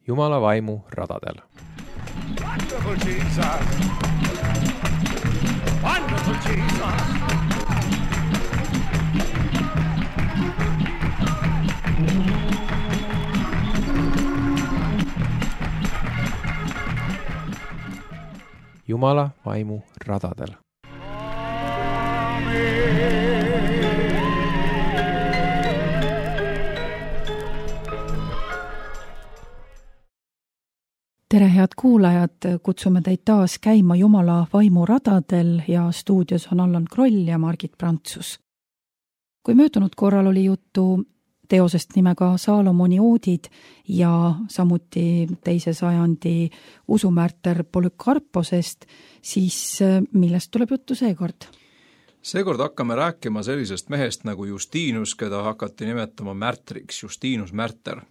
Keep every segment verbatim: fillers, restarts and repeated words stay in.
Jumala vaimu radadel. Wonderful Jesus! Wonderful Jesus! Jumala vaimu radadel. Tere, head kuulajad, kutsume teid taas käima Jumala vaimu radadel ja stuudios on Allan Kroll ja Margit Prantsus. Kui möödunud korral oli juttu teosest nimega Saalomoni oodid ja samuti teise sajandi usumärter Polükarposest, siis millest tuleb juttu seekord? Seekord hakkame rääkima sellisest mehest nagu Justinus, keda hakati nimetama märtriks, Justinus Märter.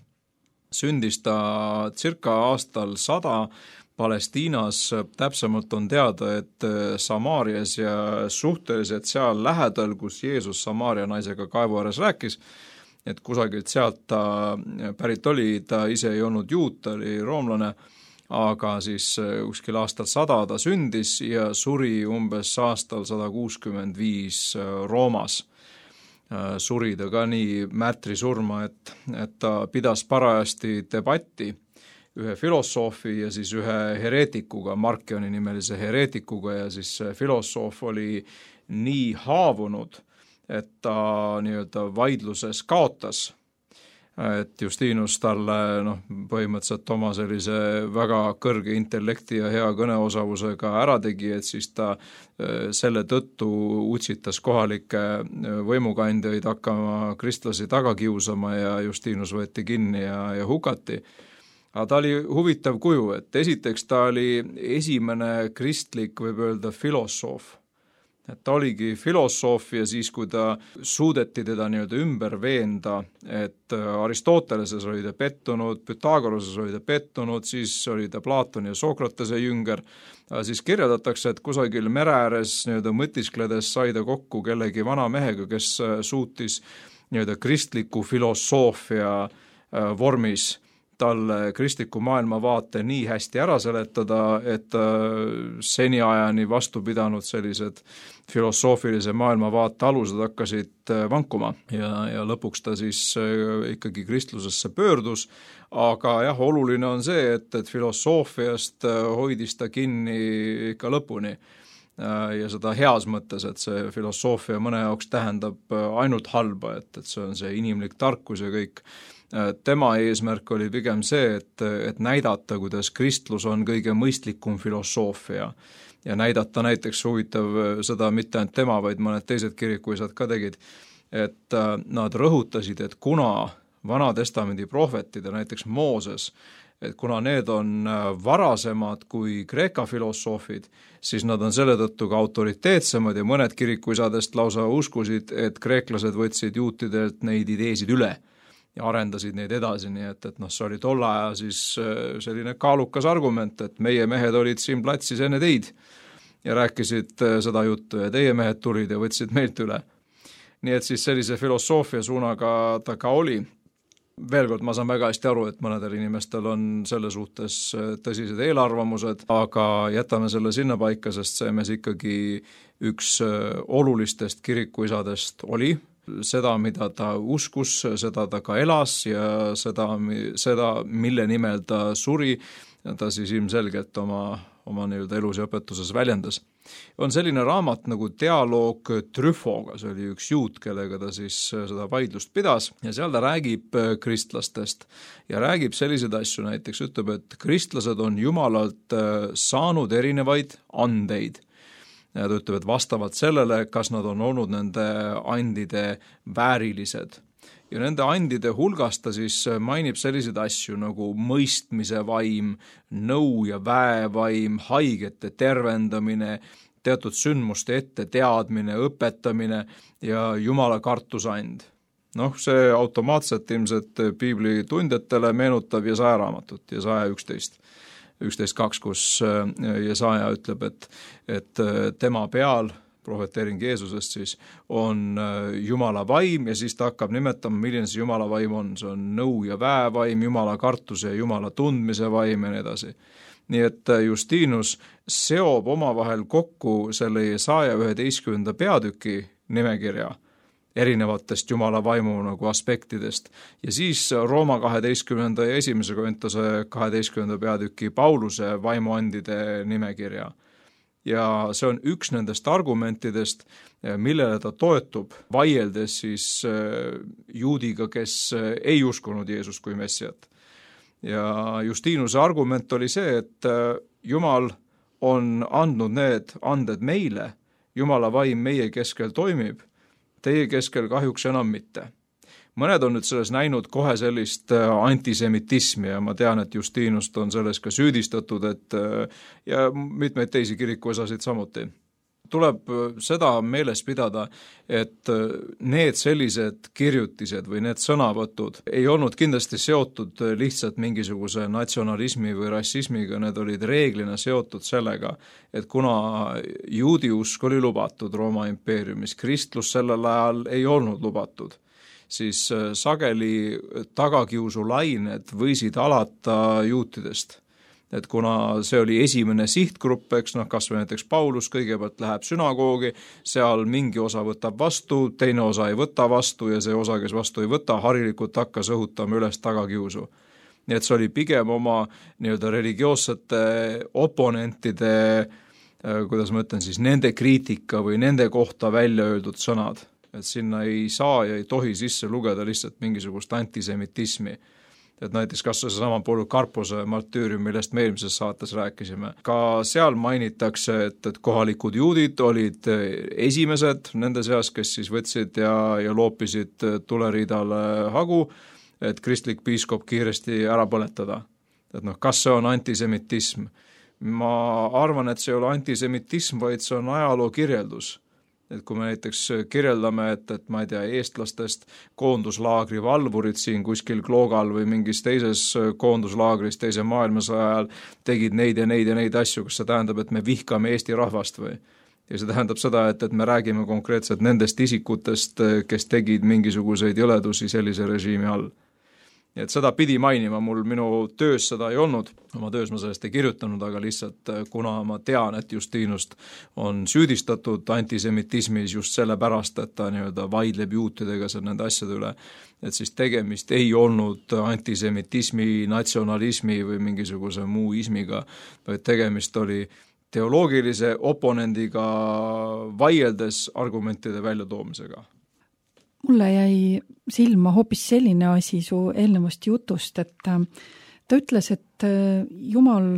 Sündis ta circa aastal sada Palestiinas, täpsemalt on teada, et Samaarias ja suhteliselt seal lähedal, kus Jeesus Samaaria naisega kaevu ääres rääkis, et kusagilt sealt ta pärit oli, ta ise ei olnud juut, ta oli roomlane, aga siis kuskil aastal sada ta sündis ja suri umbes aastal sada kuuskümmend viis Roomas. Suri ta ka nii märtri surma, et, et ta pidas parajasti debatti ühe filosoofi ja siis ühe hereetikuga, Markioni nimelise hereetikuga, ja siis filosoof oli nii haavunud, et ta nii-öelda vaidluses kaotas, et Justinus talle noh, põhimõtteliselt oma sellise väga kõrge intellekti ja hea kõneosavusega ära tegi, et siis ta selle tõttu utsitas kohalikke võimukandjaid hakkama kristlasi taga kiusama ja Justinus võeti kinni ja, ja hukati. Aga ta oli huvitav kuju, et esiteks ta oli esimene kristlik, võib öelda, filosoof. Et ta oligi filosoof ja siis, kui ta suudeti teda nii-öelda ümber veenda, et Aristoteleses oli ta pettunud, Pythagoroses oli ta pettunud, siis oli ta Platoni ja Sokratese jünger, siis kirjeldatakse, et kusagil mere ääres nii-öelda mõtiskledes sai ta kokku kellegi vana mehega, kes suutis nii-öelda kristliku filosoofia vormis talle kristliku maailmavaate nii hästi ära seletada, et seniajani vastu pidanud sellised filosoofilise maailmavaate alused hakkasid vankuma ja, ja lõpuks ta siis ikkagi kristlusesse pöördus, aga jah, oluline on see, et, et filosoofiast hoidis ta kinni ikka lõpuni ja seda heas mõttes, et see filosoofia mõne jaoks tähendab ainult halba, et, et see on see inimlik tarkus ja kõik. Tema eesmärk oli pigem see, et, et näidata, kuidas kristlus on kõige mõistlikum filosoofia ja näidata näiteks huvitav seda mitte ainult tema, vaid mõned teised kirikuisad ka tegid, et nad rõhutasid, et kuna Vana-testamendi prohvetid ja näiteks Mooses, et kuna need on varasemad kui Kreeka filosoofid, siis nad on selle tõttu ka autoriteetsemad ja mõned kirikuisadest lausa uskusid, et kreeklased võtsid juutidelt neid ideesid üle ja arendasid neid edasi, nii et, et noh, see oli tolle aja siis selline kaalukas argument, et meie mehed olid siin platsis enne teid ja rääkisid seda juttu ja teie mehed tulid ja võtsid meilt üle. Nii et siis sellise filosoofia suunaga ta ka oli. Veel kord, ma saan väga hästi aru, et mõnedel inimestel on selle suhtes tõsised eelarvamused, aga jätame selle sinna paika, sest see mees ikkagi üks olulistest kirikuisadest oli. Seda, mida ta uskus, seda ta ka elas ja seda, seda mille nimel ta suri, ta siis ilmselgelt oma, oma nii-öelda elus ja õpetuses väljendas. On selline raamat nagu Dialoog Trüfoga, see oli üks juut, kellega ta siis seda vaidlust pidas ja seal ta räägib kristlastest ja räägib selliseid asju, näiteks ütleb, et kristlased on Jumalalt saanud erinevaid andeid. Ja ta ütleb, et vastavalt sellele, kas nad on olnud nende andide väärilised. Ja nende andide hulgas ta siis mainib selliseid asju nagu mõistmise vaim, nõu ja väevaim, haigete tervendamine, teatud sündmuste ette teadmine, õpetamine ja Jumala kartusand. Noh, see automaatselt ilmselt piibli tundjatele meenutab Jesaja raamatut, Jesaja üksteist. üksteist kaks, kus Jesaja ütleb, et, et tema peal prohveteering Jeesusest siis, on Jumala vaim ja siis ta hakkab nimetama, milline see Jumala vaim on. See on nõu ja väevaim, Jumala kartuse ja Jumala tundmise vaim ja nii edasi. Nii et Justinus seob omavahel kokku selle Jesaja üheteistkümnenda peatüki nimekirja erinevatest Jumala vaimu nagu aspektidest. Ja siis Rooma kaheteistkümnenda ja esimese Korintuse kaheteistkümnenda peatüki Pauluse vaimuandide nimekirja. Ja see on üks nendest argumentidest, millele ta toetub, vaieldes siis juudiga, kes ei uskunud Jeesust kui messiat. Ja Justinuse argument oli see, et Jumal on andnud need anded meile, Jumala vaim meie keskel toimib, teie keskel kahjuks enam mitte. Mõned on nüüd selles näinud kohe sellist antisemitismi ja ma tean, et Justinust on selles ka süüdistatud, et ja mitmeid teisi kirikuosasid samuti. Tuleb seda meeles pidada, et need sellised kirjutised või need sõnavõtud ei olnud kindlasti seotud lihtsalt mingisuguse natsionalismi või rassismiga, need olid reeglina seotud sellega, et kuna juudi usk oli lubatud Rooma impeeriumis, kristlus sellel ajal ei olnud lubatud, siis sageli tagakiusulained võisid alata juutidest. Et kuna see oli esimene sihtgrupp, eks noh, kas või näiteks Paulus kõigepealt läheb sünagoogi, seal mingi osa võtab vastu, teine osa ei võta vastu ja see osa, kes vastu ei võta, harilikult hakkas õhutama üles tagakiusu. Nii et see oli pigem oma nii-öelda religioossete oponentide, kuidas ma ütlen siis, nende kriitika või nende kohta välja öeldud sõnad. Et sinna ei saa ja ei tohi sisse lugeda lihtsalt mingisugust antisemitismi. Et näiteks kas see sama Polycarpuse martüürium, millest me eelmises saates rääkisime. Ka seal mainitakse, et, et kohalikud juudid olid esimesed nende seas, kes siis võtsid ja, ja loopisid tuleriidale hagu, et kristlik piiskop kiiresti ära põletada. Et noh, kas see on antisemitism? Ma arvan, et see ei ole antisemitism, vaid see on ajaloo kirjeldus. Et kui me näiteks kirjeldame, et, et ma ei tea, eestlastest koonduslaagri valvurid siin kuskil Kloogal või mingis teises koonduslaagris teise maailmasõja ajal tegid neid ja neid ja neid asju, kas see tähendab, et me vihkame Eesti rahvast või? Ja see tähendab seda, et, et me räägime konkreetselt nendest isikutest, kes tegid mingisuguseid jõledusi sellise režiimi all. Et seda pidi mainima, mul minu töös seda ei olnud, oma töös ma sellest ei kirjutanud, aga lihtsalt kuna ma tean, et Justinust on süüdistatud antisemitismis just sellepärast, et ta nii-öelda vaidleb juutidega seal nende asjade üle, et siis tegemist ei olnud antisemitismi, natsionalismi või mingisuguse muu ismiga, vaid tegemist oli teoloogilise oponendiga vaieldes argumentide väljatoomisega. Mulle jäi silma hoopis selline asi su eelnevast jutust, et ta ütles, et Jumal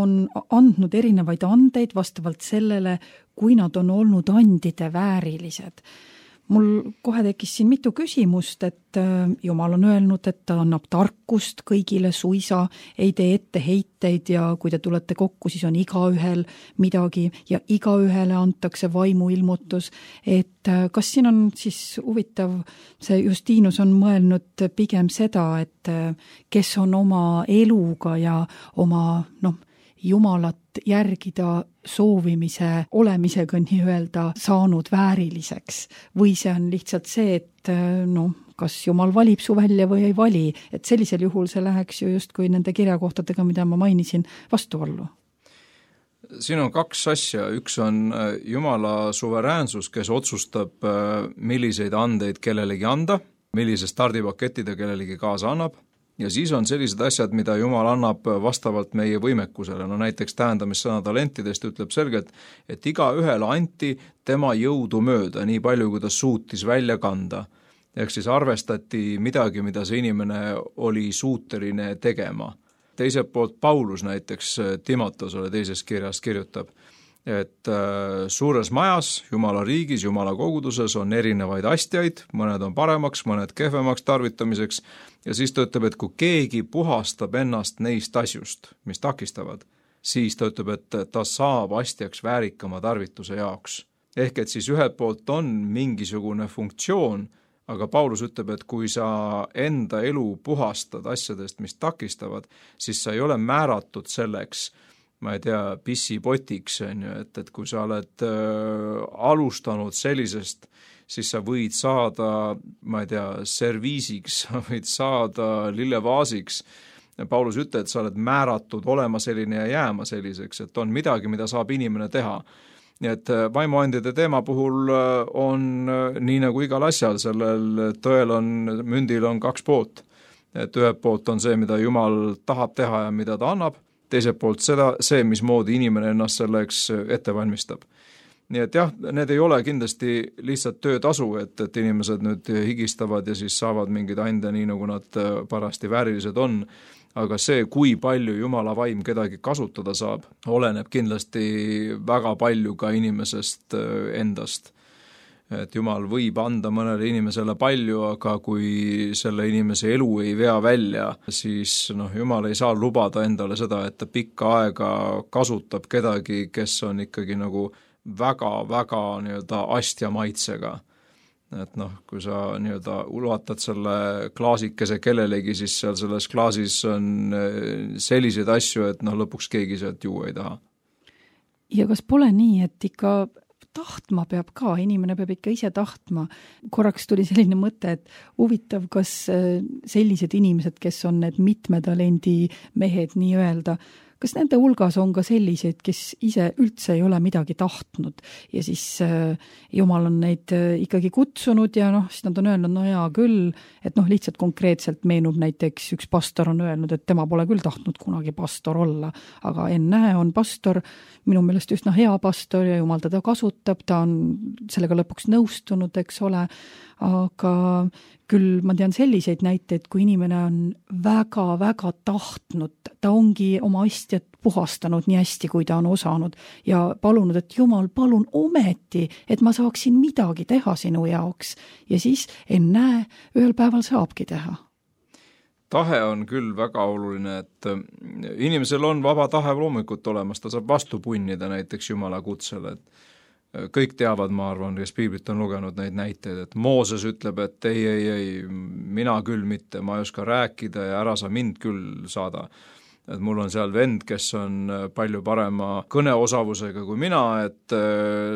on andnud erinevaid andeid vastavalt sellele, kui nad on olnud andide väärilised. Mul kohe tekkis siin mitu küsimust, et Jumal on öelnud, et ta annab tarkust kõigile suisa, ei tee etteheiteid ja kui te tulete kokku, siis on igaühel midagi ja igaühele antakse vaimuilmutus. Et kas siin on siis huvitav, see Justinus on mõelnud pigem seda, et kes on oma eluga ja oma noh, Jumalat järgida soovimise olemisega nii-öelda saanud vääriliseks või see on lihtsalt see, et no, kas Jumal valib su välja või ei vali, et sellisel juhul see läheks ju just kui nende kirjakohtadega, mida ma mainisin, vastuollu. Siin on kaks asja, üks on Jumala suveräänsus, kes otsustab, milliseid andeid kellelegi anda, millise stardipaketi ta kellelegi kaasa annab. Ja siis on sellised asjad, mida Jumal annab vastavalt meie võimekusele. No näiteks tähendamissõna talentidest ütleb selgelt, et iga ühele anti tema jõudu mööda, nii palju, kui ta suutis välja kanda. Ehk siis arvestati midagi, mida see inimene oli suuteline tegema. Teiselt poolt Paulus näiteks Timotosele teises kirjas kirjutab, et suures majas, Jumala riigis, Jumala koguduses on erinevaid astjaid, mõned on paremaks, mõned kehvemaks tarvitamiseks ja siis ta ütleb, et kui keegi puhastab ennast neist asjust, mis takistavad, siis ta ütleb, et ta saab astjaks väärikama tarvituse jaoks. Ehk et siis ühelt poolt on mingisugune funktsioon, aga Paulus ütleb, et kui sa enda elu puhastad asjadest, mis takistavad, siis sa ei ole määratud selleks, ma ei tea, pissipotiks, on ju, et, et kui sa oled äh, alustanud sellisest, siis sa võid saada, ma ei tea, serviisiks, sa võid saada lillevaasiks. Paulus ütleb, et sa oled määratud olema selline ja jääma selliseks, et on midagi, mida saab inimene teha. Nii et vaimuandide teema puhul on nii nagu igal asjal, sellel tõel on, mündil on kaks poolt. Et ühelt poolt on see, mida Jumal tahab teha ja mida ta annab, teiselt poolt seda, see, mismoodi inimene ennast selleks ette valmistab. Nii et jah, need ei ole kindlasti lihtsalt töötasu, et, et inimesed nüüd higistavad ja siis saavad mingid ande nii, nagu nad parasti väärilised on, aga see, kui palju Jumala vaim kedagi kasutada saab, oleneb kindlasti väga palju ka inimesest endast. Et Jumal võib anda mõnele inimesele palju, aga kui selle inimese elu ei vea välja, siis noh, Jumal ei saa lubada endale seda, et ta pikka aega kasutab kedagi, kes on ikkagi nagu väga-väga nii-öelda astja maitsega. Et noh, kui sa nii-öelda ulatad selle klaasikese kellelegi, siis seal selles klaasis on selliseid asju, et noh, lõpuks keegi sealt juua ei taha. Ja kas pole nii, et ikka tahtma peab ka, inimene peab ikka ise tahtma. Korraks tuli selline mõte, et huvitav, kas sellised inimesed, kes on need mitmetalendi mehed nii öelda, kas nende hulgas on ka selliseid, kes ise üldse ei ole midagi tahtnud ja siis äh, Jumal on neid äh, ikkagi kutsunud ja noh, siis nad on öelnud, no jaa küll, et noh, lihtsalt konkreetselt meenub näiteks üks pastor on öelnud, et tema pole küll tahtnud kunagi pastor olla, aga ennäe on pastor, minu meelest üsna hea pastor ja Jumal teda kasutab, ta on sellega lõpuks nõustunud, eks ole, aga küll ma tean selliseid näiteid, kui inimene on väga-väga tahtnud, ta ongi oma asjad puhastanud nii hästi, kui ta on osanud ja palunud, et Jumal, palun ometi, et ma saaksin midagi teha sinu jaoks ja siis ennäe, ühel päeval saabki teha. Tahe on küll väga oluline, et inimesel on vaba tahe loomulikult olemas, ta saab vastu punnida näiteks Jumala kutsele, et kõik teavad, ma arvan, kes piiblit on lugenud neid näiteid, et Mooses ütleb, et ei, ei, ei, mina küll mitte, ma ei oska rääkida ja ära sa mind küll saada. Et mul on seal vend, kes on palju parema kõneosavusega kui mina, et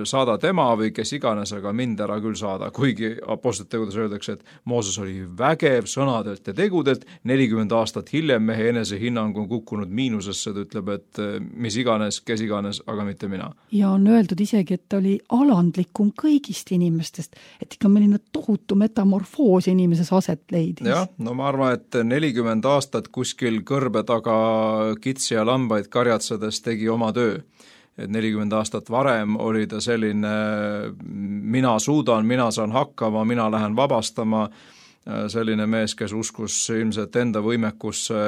saada tema või kes iganes, aga mind ära küll saada. Kuigi apostlite tegudes öeldakse, et Mooses oli vägev sõnadelt ja tegudelt, nelikümmend aastat hiljem mehe enese hinnang on kukkunud miinusesse, ta ütleb, et mis iganes, kes iganes, aga mitte mina. Ja on öeldud isegi, et ta oli alandlikum kõigist inimestest, et ikka milline tohutu metamorfoos inimeses aset leidis. Jah, no ma arvan, et nelikümmend aastat kuskil kõrbe taga kitsi ja lambaid karjatsedes tegi oma töö. Et nelikümmend aastat varem oli ta selline, mina suudan, mina saan hakkama, mina lähen vabastama, selline mees, kes uskus ilmselt enda võimekusse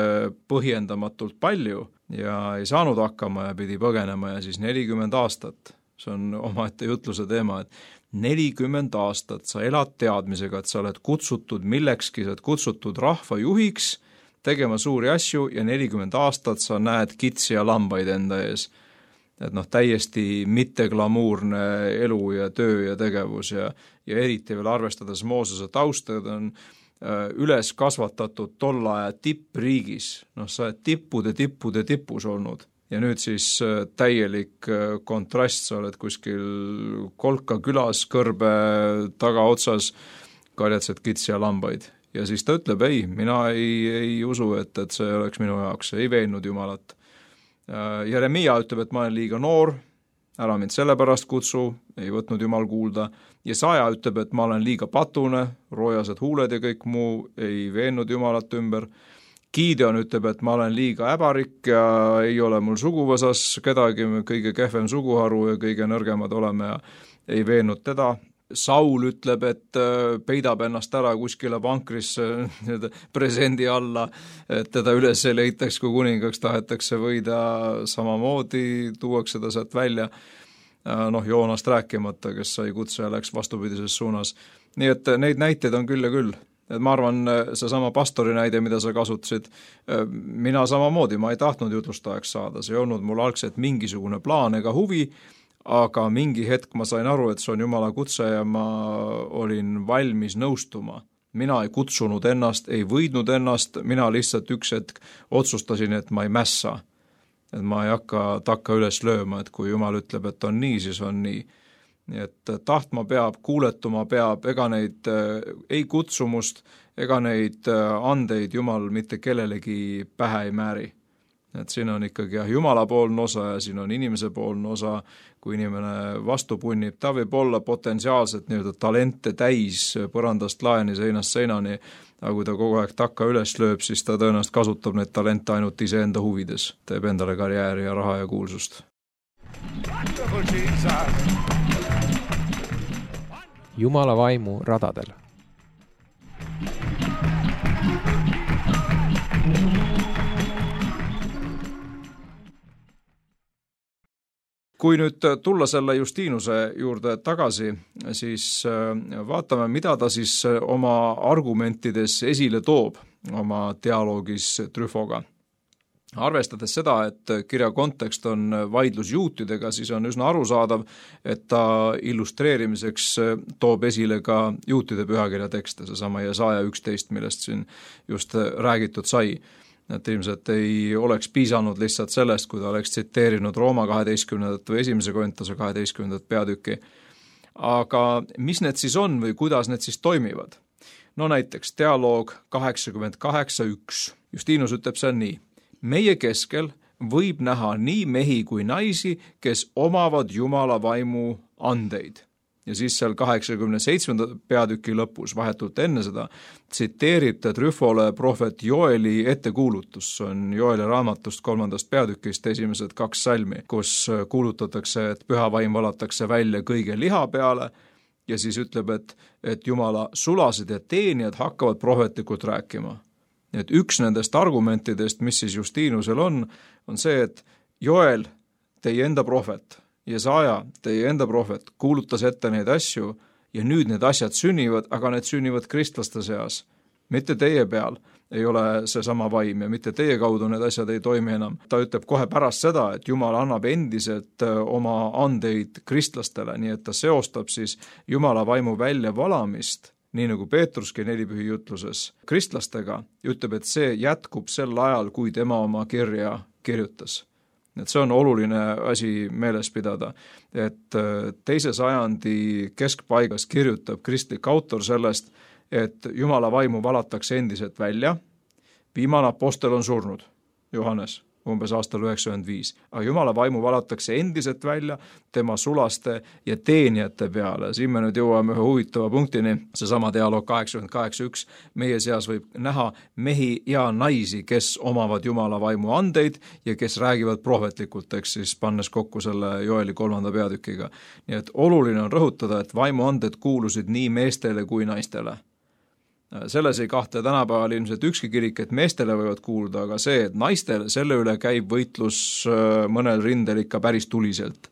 põhjendamatult palju ja ei saanud hakkama ja pidi põgenema ja siis nelikümmend aastat, see on omaette jutluse teema, et nelikümmend aastat sa elad teadmisega, et sa oled kutsutud millekski, sa oled kutsutud rahva juhiks, tegema suuri asju ja nelikümmend aastat sa näed kitsi ja lambaid enda ees. Et noh, täiesti mitte glamuurne elu ja töö ja tegevus ja, ja eriti veel arvestades Moosese taustad on äh, üles kasvatatud tolla aja tippriigis. Noh, sa oled tippude, tippude tipus olnud ja nüüd siis äh, täielik äh, kontrast, sa oled kuskil Kolka külas kõrbe tagaotsas, karjatsed kitsi ja lambaid. Ja siis ta ütleb, ei, mina ei, ei usu, et, et see oleks minu jaoks, ei veennud Jumalat. Jeremia ütleb, et ma olen liiga noor, ära mind sellepärast kutsu, ei võtnud Jumal kuulda. Ja Saja ütleb, et ma olen liiga patune, roojased huuled ja kõik muu, ei veennud Jumalat ümber. Gideon ütleb, et ma olen liiga äbarik ja ei ole mul suguvõsas kedagi, kõige kehvem suguharu ja kõige nõrgemad oleme ja ei veennud teda. Saul ütleb, et peidab ennast ära kuskile vankrisse presendi alla, et teda üles ei leitaks, kui kuningaks tahetakse võida, samamoodi tuuakse ta sealt välja, noh Joonast rääkimata, kes sai kutse ja läks vastupidises suunas. Nii et neid näiteid on küll ja küll. Et ma arvan, see sama pastori näide, mida sa kasutasid, mina samamoodi, ma ei tahtnud jutlustajaks saada, see ei olnud mul algselt mingisugune plaan ega huvi, aga mingi hetk ma sain aru, et see on Jumala kutse ja ma olin valmis nõustuma. Mina ei kutsunud ennast, ei võidnud ennast, mina lihtsalt üks hetk otsustasin, et ma ei mässa. et ma ei hakka takka üles lööma, et kui Jumal ütleb, et on nii, siis on nii. Nii et tahtma peab, kuuletuma peab, ega neid ei kutsumust, ega neid andeid Jumal mitte kellelegi pähe ei määri. Et siin on ikkagi jah, Jumala poolne osa ja siin on inimese poolne osa, kui inimene vastu punnib, ta võib olla potentsiaalselt nii-öelda talente täis põrandast laeni, seinast seinani, aga kui ta kogu aeg takka üles lööb, siis ta tõenäoliselt kasutab neid talente ainult iseenda huvides, teeb endale karjääri ja raha ja kuulsust. Jumala vaimu radadel. Kui nüüd tulla selle Justinuse juurde tagasi, siis vaatame, mida ta siis oma argumentides esile toob oma dialoogis Tryfoga. Arvestades seda, et kirja kontekst on vaidlus juutidega, siis on üsna arusaadav, et ta illustreerimiseks toob esile ka juutide pühakirja tekste, seesama Jesaja üksteist, millest siin just räägitud sai. Et ilmselt ei oleks piisanud lihtsalt sellest, kui ta oleks tsiteerinud Rooma kaheteistkümnendat või esimese Korintuse kaheteistkümnendat peatüki. Aga mis need siis on või kuidas need siis toimivad? No näiteks dialoog kaheksakümmend kaheksa üks. Justinus ütleb seal nii. Meie keskel võib näha nii mehi kui naisi, kes omavad Jumala vaimu andeid. Ja siis seal kaheksakümne seitsmenda peatüki lõpus, vahetult enne seda, tsiteerib ta Tryfole prohvet Joeli ettekuulutus, see on Joeli raamatust kolmandast peatükist esimesed kaks salmi, kus kuulutatakse, et püha vaim valatakse välja kõige liha peale ja siis ütleb, et, et Jumala sulased ja teenijad hakkavad prohvetlikult rääkima. Et üks nendest argumentidest, mis siis Justinusel on, on see, et Joel, teie enda prohvet, Jesaja, teie enda prohvet, kuulutas ette neid asju ja nüüd need asjad sünnivad, aga need sünnivad kristlaste seas. Mitte teie peal ei ole see sama vaim ja mitte teie kaudu need asjad ei toimi enam. Ta ütleb kohe pärast seda, et Jumal annab endiselt oma andeid kristlastele, nii et ta seostab siis Jumala vaimu väljavalamist, nii nagu Peetruski nelipühi jutluses kristlastega, ütleb, et see jätkub sel ajal, kui tema oma kirja kirjutas. Et see on oluline asi meeles pidada, et teise sajandi keskpaigas kirjutab kristlik autor sellest, et Jumala vaimu valatakse endiselt välja, viimane apostel on surnud, Johannes, umbes aastal üheksakümmend viis, aga Jumala vaimu valatakse endiselt välja tema sulaste ja teenijate peale. Siin me nüüd jõuame ühe huvitava punktini, seesama dialoog kaheksakümmend kaheksa üks, meie seas võib näha mehi ja naisi, kes omavad Jumala vaimu andeid ja kes räägivad prohvetlikult, eks siis pannes kokku selle Joeli kolmanda peatükiga. Nii et oluline on rõhutada, et vaimu anded kuulusid nii meestele kui naistele. Selles ei kahtle tänapäeval ilmselt ükski kirik, et meestele võivad kuuluda, aga see, et naistele selle üle käib võitlus mõnel rindel ikka päris tuliselt.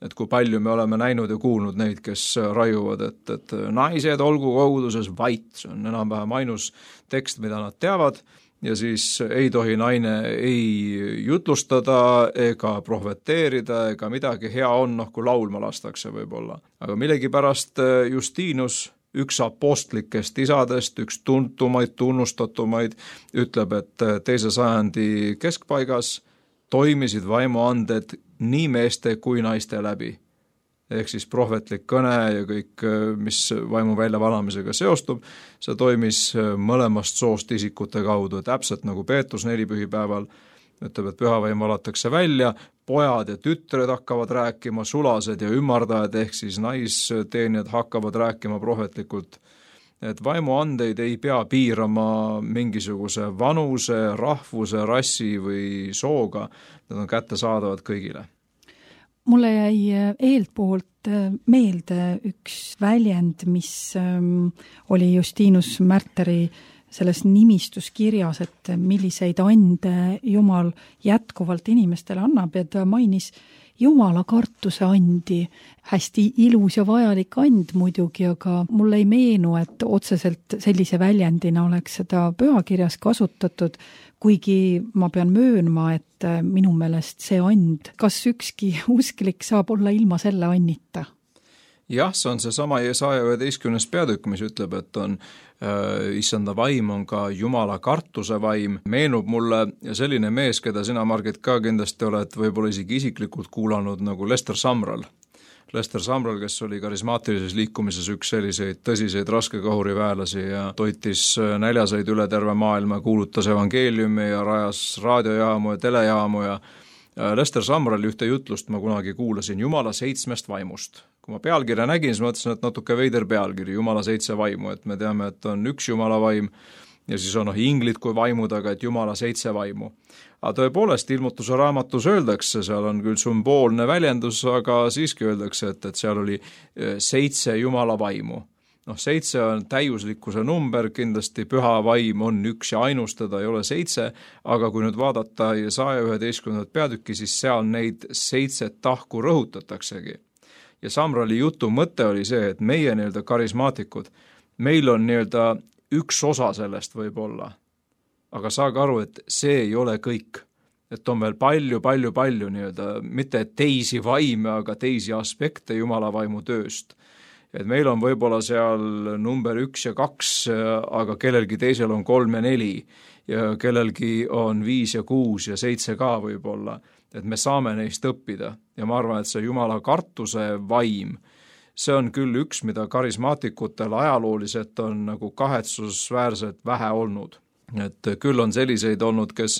Et kui palju me oleme näinud ja kuulnud neid, kes raiuvad, et, et naised olgu koguduses vait, see on enam-vähem ainus tekst, mida nad teavad, ja siis ei tohi naine ei jutlustada ega prohveteerida ega midagi, hea on, noh, kui laulma lastakse võib-olla. Aga millegipärast Justinus, üks apostlikest isadest, üks tuntumaid, tunnustatumaid, ütleb, et teise sajandi keskpaigas toimisid vaimuanded nii meeste kui naiste läbi. Ehk siis prohvetlik kõne ja kõik, mis vaimu väljavalamisega seostub, see toimis mõlemast soost isikute kaudu, täpselt nagu Peetrus nelipühipäeval ütleb, et püha vaim valatakse välja, pojad ja tütred hakkavad rääkima, sulased ja ümardajad ehk siis naisteenijad hakkavad rääkima prohvetlikult. Et vaimuandeid ei pea piirama mingisuguse vanuse, rahvuse, rassi või sooga, need on kättesaadavad kõigile. Mulle jäi eeltpoolt meelde üks väljend, mis oli Justinus Märteri selles nimistuskirjas, et milliseid ande Jumal jätkuvalt inimestele annab ja ta mainis Jumala kartuse andi. Hästi ilus ja vajalik and muidugi, aga mulle ei meenu, et otseselt sellise väljendina oleks seda pühakirjas kasutatud, kuigi ma pean möönma, et minu meelest see and, kas ükski usklik saab olla ilma selle annita? jah, see on see sama Jesaja üheteistkümnes peatükk, mis ütleb, et on äh, issanda vaim on ka Jumala kartuse vaim. Meenub mulle selline mees, keda sina, Margit, ka kindlasti oled võib-olla isegi isiklikult kuulanud, nagu Lester Sumrall. Lester Sumrall, kes oli karismaatilises liikumises üks selliseid tõsiseid raskekahuriväelasi ja toitis näljaseid üle terve maailma, kuulutas evangeeliumi ja rajas raadiojaamu ja telejaamu ja Lester Sumralli ühte jutlust ma kunagi kuulasin Jumala seitsmest vaimust. Kui ma pealkirja nägin, siis mõtlesin, et natuke veider pealkiri, Jumala seitse vaimu, et me teame, et on üks Jumala vaim ja siis on noh, inglid kui vaimud, aga et Jumala seitse vaimu. Aga tõepoolest, ilmutuse raamatus öeldakse, seal on küll sümboolne väljendus, aga siiski öeldakse, et, et seal oli seitse Jumala vaimu. Noh, seitse on täiuslikkuse number, kindlasti püha vaim on üks ja ainus, teda ei ole seitse, aga kui nüüd vaadata Jesaja üheteistkümnendat peatükki, siis seal neid seitset tahku rõhutataksegi. Ja Sumralli jutu mõte oli see, et meie nii-öelda karismaatikud, meil on nii-öelda üks osa sellest võib olla, aga saage aru, et see ei ole kõik. Et on veel palju, palju, palju nii-öelda, mitte teisi vaime, aga teisi aspekte Jumala vaimu tööst. Et meil on võib-olla seal number üks ja kaks, aga kellelgi teisel on kolm ja neli ja kellelgi on viis ja kuus ja seitse ka võib-olla. Et me saame neist õppida ja ma arvan, et see Jumala kartuse vaim, see on küll üks, mida karismaatikutel ajalooliselt on nagu kahetsusväärselt vähe olnud. Et küll on selliseid olnud, kes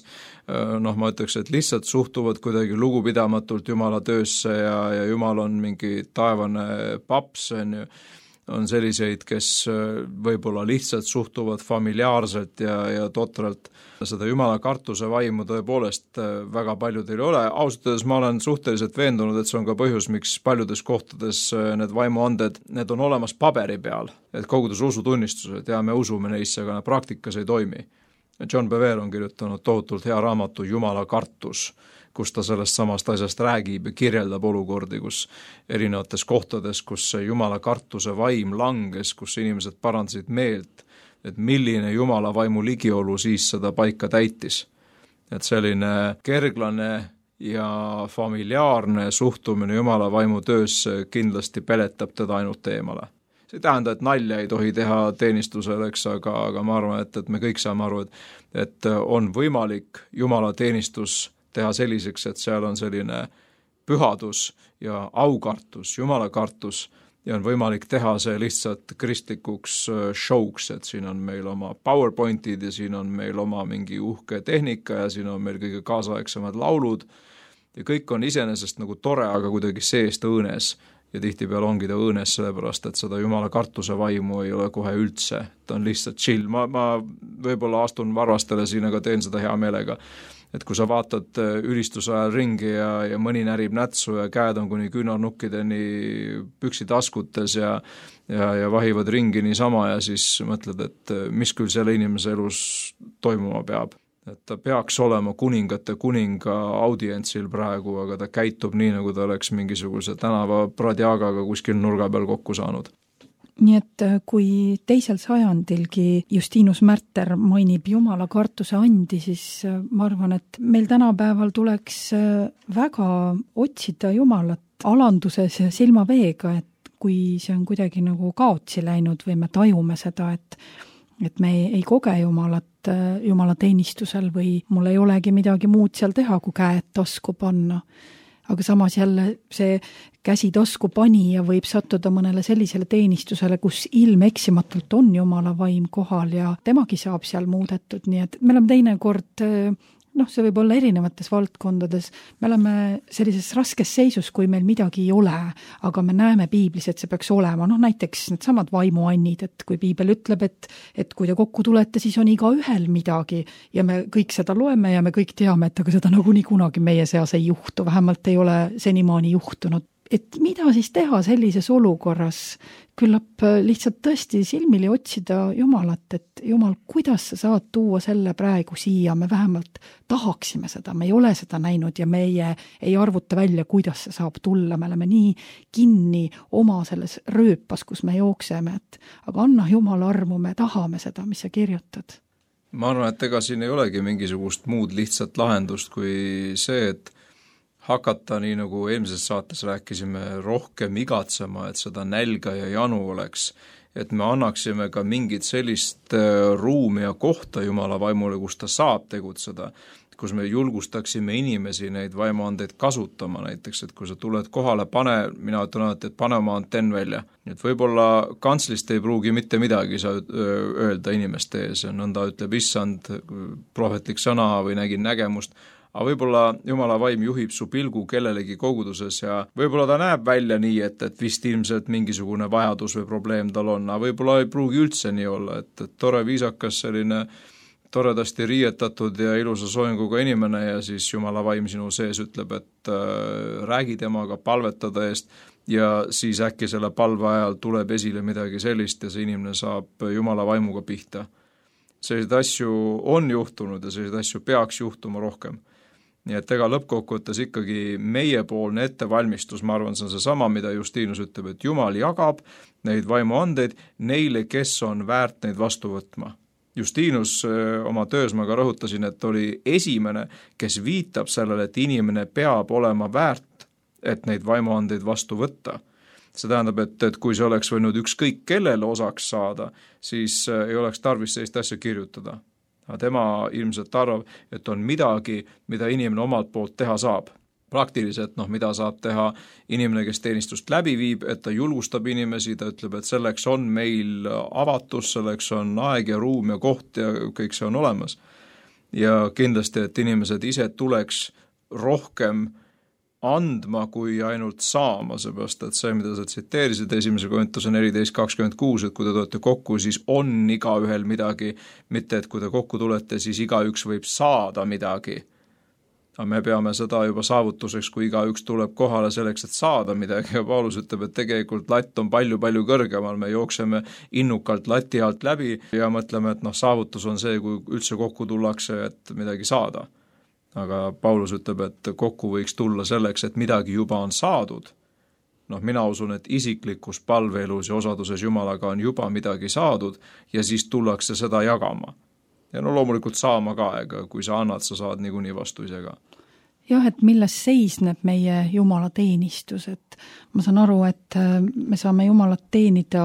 noh, ma ütleks, et lihtsalt suhtuvad kuidagi lugupidamatult Jumala töösse ja, ja Jumal on mingi taevane paps, on, on selliseid, kes võib-olla lihtsalt suhtuvad familiaarselt ja, ja totralt. Seda Jumala kartuse vaimu tõepoolest väga paljudel ei ole. Ausalt ma olen suhteliselt veendunud, et see on ka põhjus, miks paljudes kohtades need vaimuanded, need on olemas paberi peal, et kogudus usutunnistused ja me usume neisse, aga need praktikas ei toimi. John Bevere on kirjutanud tohutult hea raamatu Jumala kartus, kus ta sellest samast asjast räägib ja kirjeldab olukordi, kus erinevates kohtades, kus Jumala kartuse vaim langes, kus inimesed parandasid meelt, et milline Jumala vaimu ligiolu siis seda paika täitis. Et selline kerglane ja familiaarne suhtumine Jumala vaimu töösse kindlasti peletab teda ainult eemale. See ei tähenda, et nalja ei tohi teha teenistusel, eks, aga, aga ma arvan, et, et me kõik saame aru, et, et on võimalik Jumala teenistus teha selliseks, et seal on selline pühadus ja aukartus, Jumala kartus, ja on võimalik teha see lihtsalt kristlikuks showks, et siin on meil oma PowerPointid ja siin on meil oma mingi uhke tehnika ja siin on meil kõige kaasaegsemad laulud ja kõik on iseenesest nagu tore, aga kuidagi seest õõnes ja tihtipeale ongi ta õõnes sellepärast, et seda Jumala kartuse vaimu ei ole kohe üldse, ta on lihtsalt chill, ma, ma võib-olla astun varvastele siin, aga teen seda hea meelega. Et kui sa vaatad ülistuse ajal ringi ja, ja mõni närib nätsu ja käed on kuni küünarnukkideni püksitaskutes ja, ja, ja vahivad ringi niisama ja siis mõtled, et mis küll selle inimese elus toimuma peab. Et ta peaks olema kuningate kuninga audientsil praegu, aga ta käitub nii, nagu ta oleks mingisuguse tänava pradjagaga kuskil nurga peal kokku saanud. Nii et kui teisel sajandilgi Justinus Märter mainib Jumala kartuse andi, siis ma arvan, et meil tänapäeval tuleks väga otsida Jumalat alanduses ja silmaveega, et kui see on kuidagi nagu kaotsi läinud või me tajume seda, et, et me ei, ei koge Jumalat Jumala teenistusel või mul ei olegi midagi muud seal teha, kui käed tasku panna. Aga samas jälle see käsi tasku panija võib sattuda mõnele sellisele teenistusele, kus ilmeksimatult on Jumala vaim kohal ja temagi saab seal muudetud, nii et me oleme teinekord, noh, see võib olla erinevates valdkondades, me oleme sellises raskes seisus, kui meil midagi ei ole, aga me näeme piiblis, et see peaks olema, noh näiteks need samad vaimuannid, et kui piibel ütleb, et, et kui te kokku tulete, siis on iga ühel midagi ja me kõik seda loeme ja me kõik teame, et aga seda nagunii kunagi meie seas ei juhtu, vähemalt ei ole senimaani juhtunud. Et mida siis teha sellises olukorras? Küllap lihtsalt tõesti silmili otsida Jumalat, et Jumal, kuidas sa saad tuua selle praegu siia, me vähemalt tahaksime seda, me ei ole seda näinud ja meie ei arvuta välja, kuidas see saab tulla, me oleme nii kinni oma selles rööpas, kus me jookseme, et aga anna Jumal armu, me tahame seda, mis sa kirjutad. Ma arvan, et ega siin ei olegi mingisugust muud lihtsat lahendust kui see, et hakata, nii nagu eelmises saates rääkisime, rohkem igatsema, et seda nälga ja janu oleks, et me annaksime ka mingit sellist ruumi ja kohta Jumala vaimule, kus ta saab tegutseda, kus me julgustaksime inimesi neid vaimuandeid kasutama, näiteks, et kui sa tuled kohale, pane, mina ütlen alati, et pane oma antenn välja. Et võib-olla kantslist ei pruugi mitte midagi sa öelda inimeste ees, nõnda ütleb issand, prohvetlik sõna või nägin nägemust, aga võib-olla Jumala vaim juhib su pilgu kellelegi koguduses ja võib-olla ta näeb välja nii, et, et vist ilmselt mingisugune vajadus või probleem tal on, aga võib-olla ei pruugi üldse nii olla, et, et tore viisakas selline toredasti riietatud ja ilusa soenguga inimene ja siis Jumala vaim sinu sees ütleb, et äh, räägi temaga palvetada eest ja siis äkki selle palve ajal tuleb esile midagi sellist ja see inimene saab Jumala vaimuga pihta. Selliseid asju on juhtunud ja selliseid asju peaks juhtuma rohkem. Nii et ega lõppkokkuvõttes ikkagi meiepoolne ettevalmistus, ma arvan, see on see sama, mida Justinus ütleb, et Jumal jagab neid vaimuandeid neile, kes on väärt neid vastu võtma. Justinus oma töös ma ka rõhutasin, et oli esimene, kes viitab sellele, et inimene peab olema väärt, et neid vaimuandeid vastu võtta. See tähendab, et, et kui see oleks võinud ükskõik kellele osaks saada, siis ei oleks tarvis sellist asja kirjutada. Tema ilmselt arvab, et on midagi, mida inimene omalt poolt teha saab. Praktiliselt, noh, mida saab teha inimene, kes teenistust läbi viib, et ta julgustab inimesi, ta ütleb, et selleks on meil avatus, selleks on aeg ja ruum ja koht ja kõik see on olemas. Ja kindlasti, et inimesed ise tuleks rohkem andma kui ainult saama, seepärast, et see, mida sa tsiteerisid esimese Korintuse neliteist kakskümmend kuus, et kui te tulete kokku, siis on iga ühel midagi, mitte et kui te kokku tulete, siis igaüks võib saada midagi. Aga me peame seda juba saavutuseks, kui igaüks tuleb kohale selleks, et saada midagi ja Paulus ütleb, et tegelikult latt on palju-palju kõrgemal, me jookseme innukalt lati alt läbi ja mõtleme, et noh, saavutus on see, kui üldse kokku tullakse, et midagi saada. Aga Paulus ütleb, et kokku võiks tulla selleks, et midagi juba on saadud. Noh, mina usun, et isiklikus palveelus ja osaduses Jumalaga on juba midagi saadud ja siis tullakse seda jagama. Ja no loomulikult saama ka, ega kui sa annad, sa saad niikuinii vastu ise ka. Jah, et milles seisneb meie Jumala teenistus, et ma saan aru, et me saame Jumalat teenida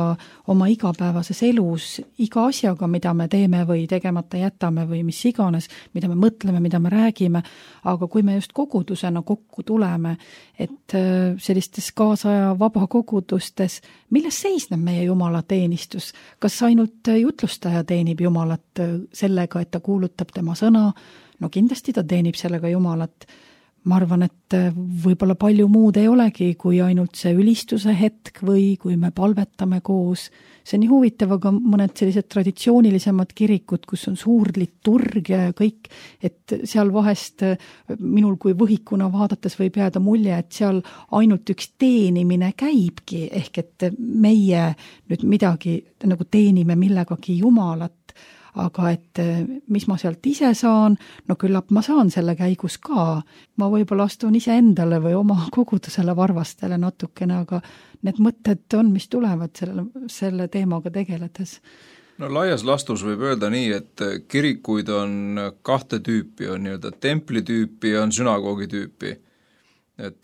oma igapäevases elus iga asjaga, mida me teeme või tegemata jätame või mis iganes, mida me mõtleme, mida me räägime, aga kui me just kogudusena kokku tuleme, et sellistes kaasaja vabakogudustes, milles seisneb meie Jumala teenistus? Kas ainult jutlustaja teenib Jumalat sellega, et ta kuulutab tema sõna? No kindlasti ta teenib sellega Jumalat. Ma arvan, et võib-olla palju muud ei olegi, kui ainult see ülistuse hetk või kui me palvetame koos. See on nii huvitav, aga mõned sellised traditsioonilisemad kirikud, kus on suur liturg ja kõik, et seal vahest minul kui võhikuna vaadates võib jääda mulje, et seal ainult üks teenimine käibki, ehk et meie nüüd midagi nagu teenime millegagi Jumalat. Aga et mis ma sealt ise saan, no küllap ma saan selle käigus ka. Ma võib-olla astun ise endale või oma kogudusele varvastele natukene, aga need mõtted on, mis tulevad selle, selle teemaga tegeledes. No laias lastus võib öelda nii, et kirikuid on kahte tüüpi, on nii-öelda templi tüüpi ja on sünagoogi tüüpi.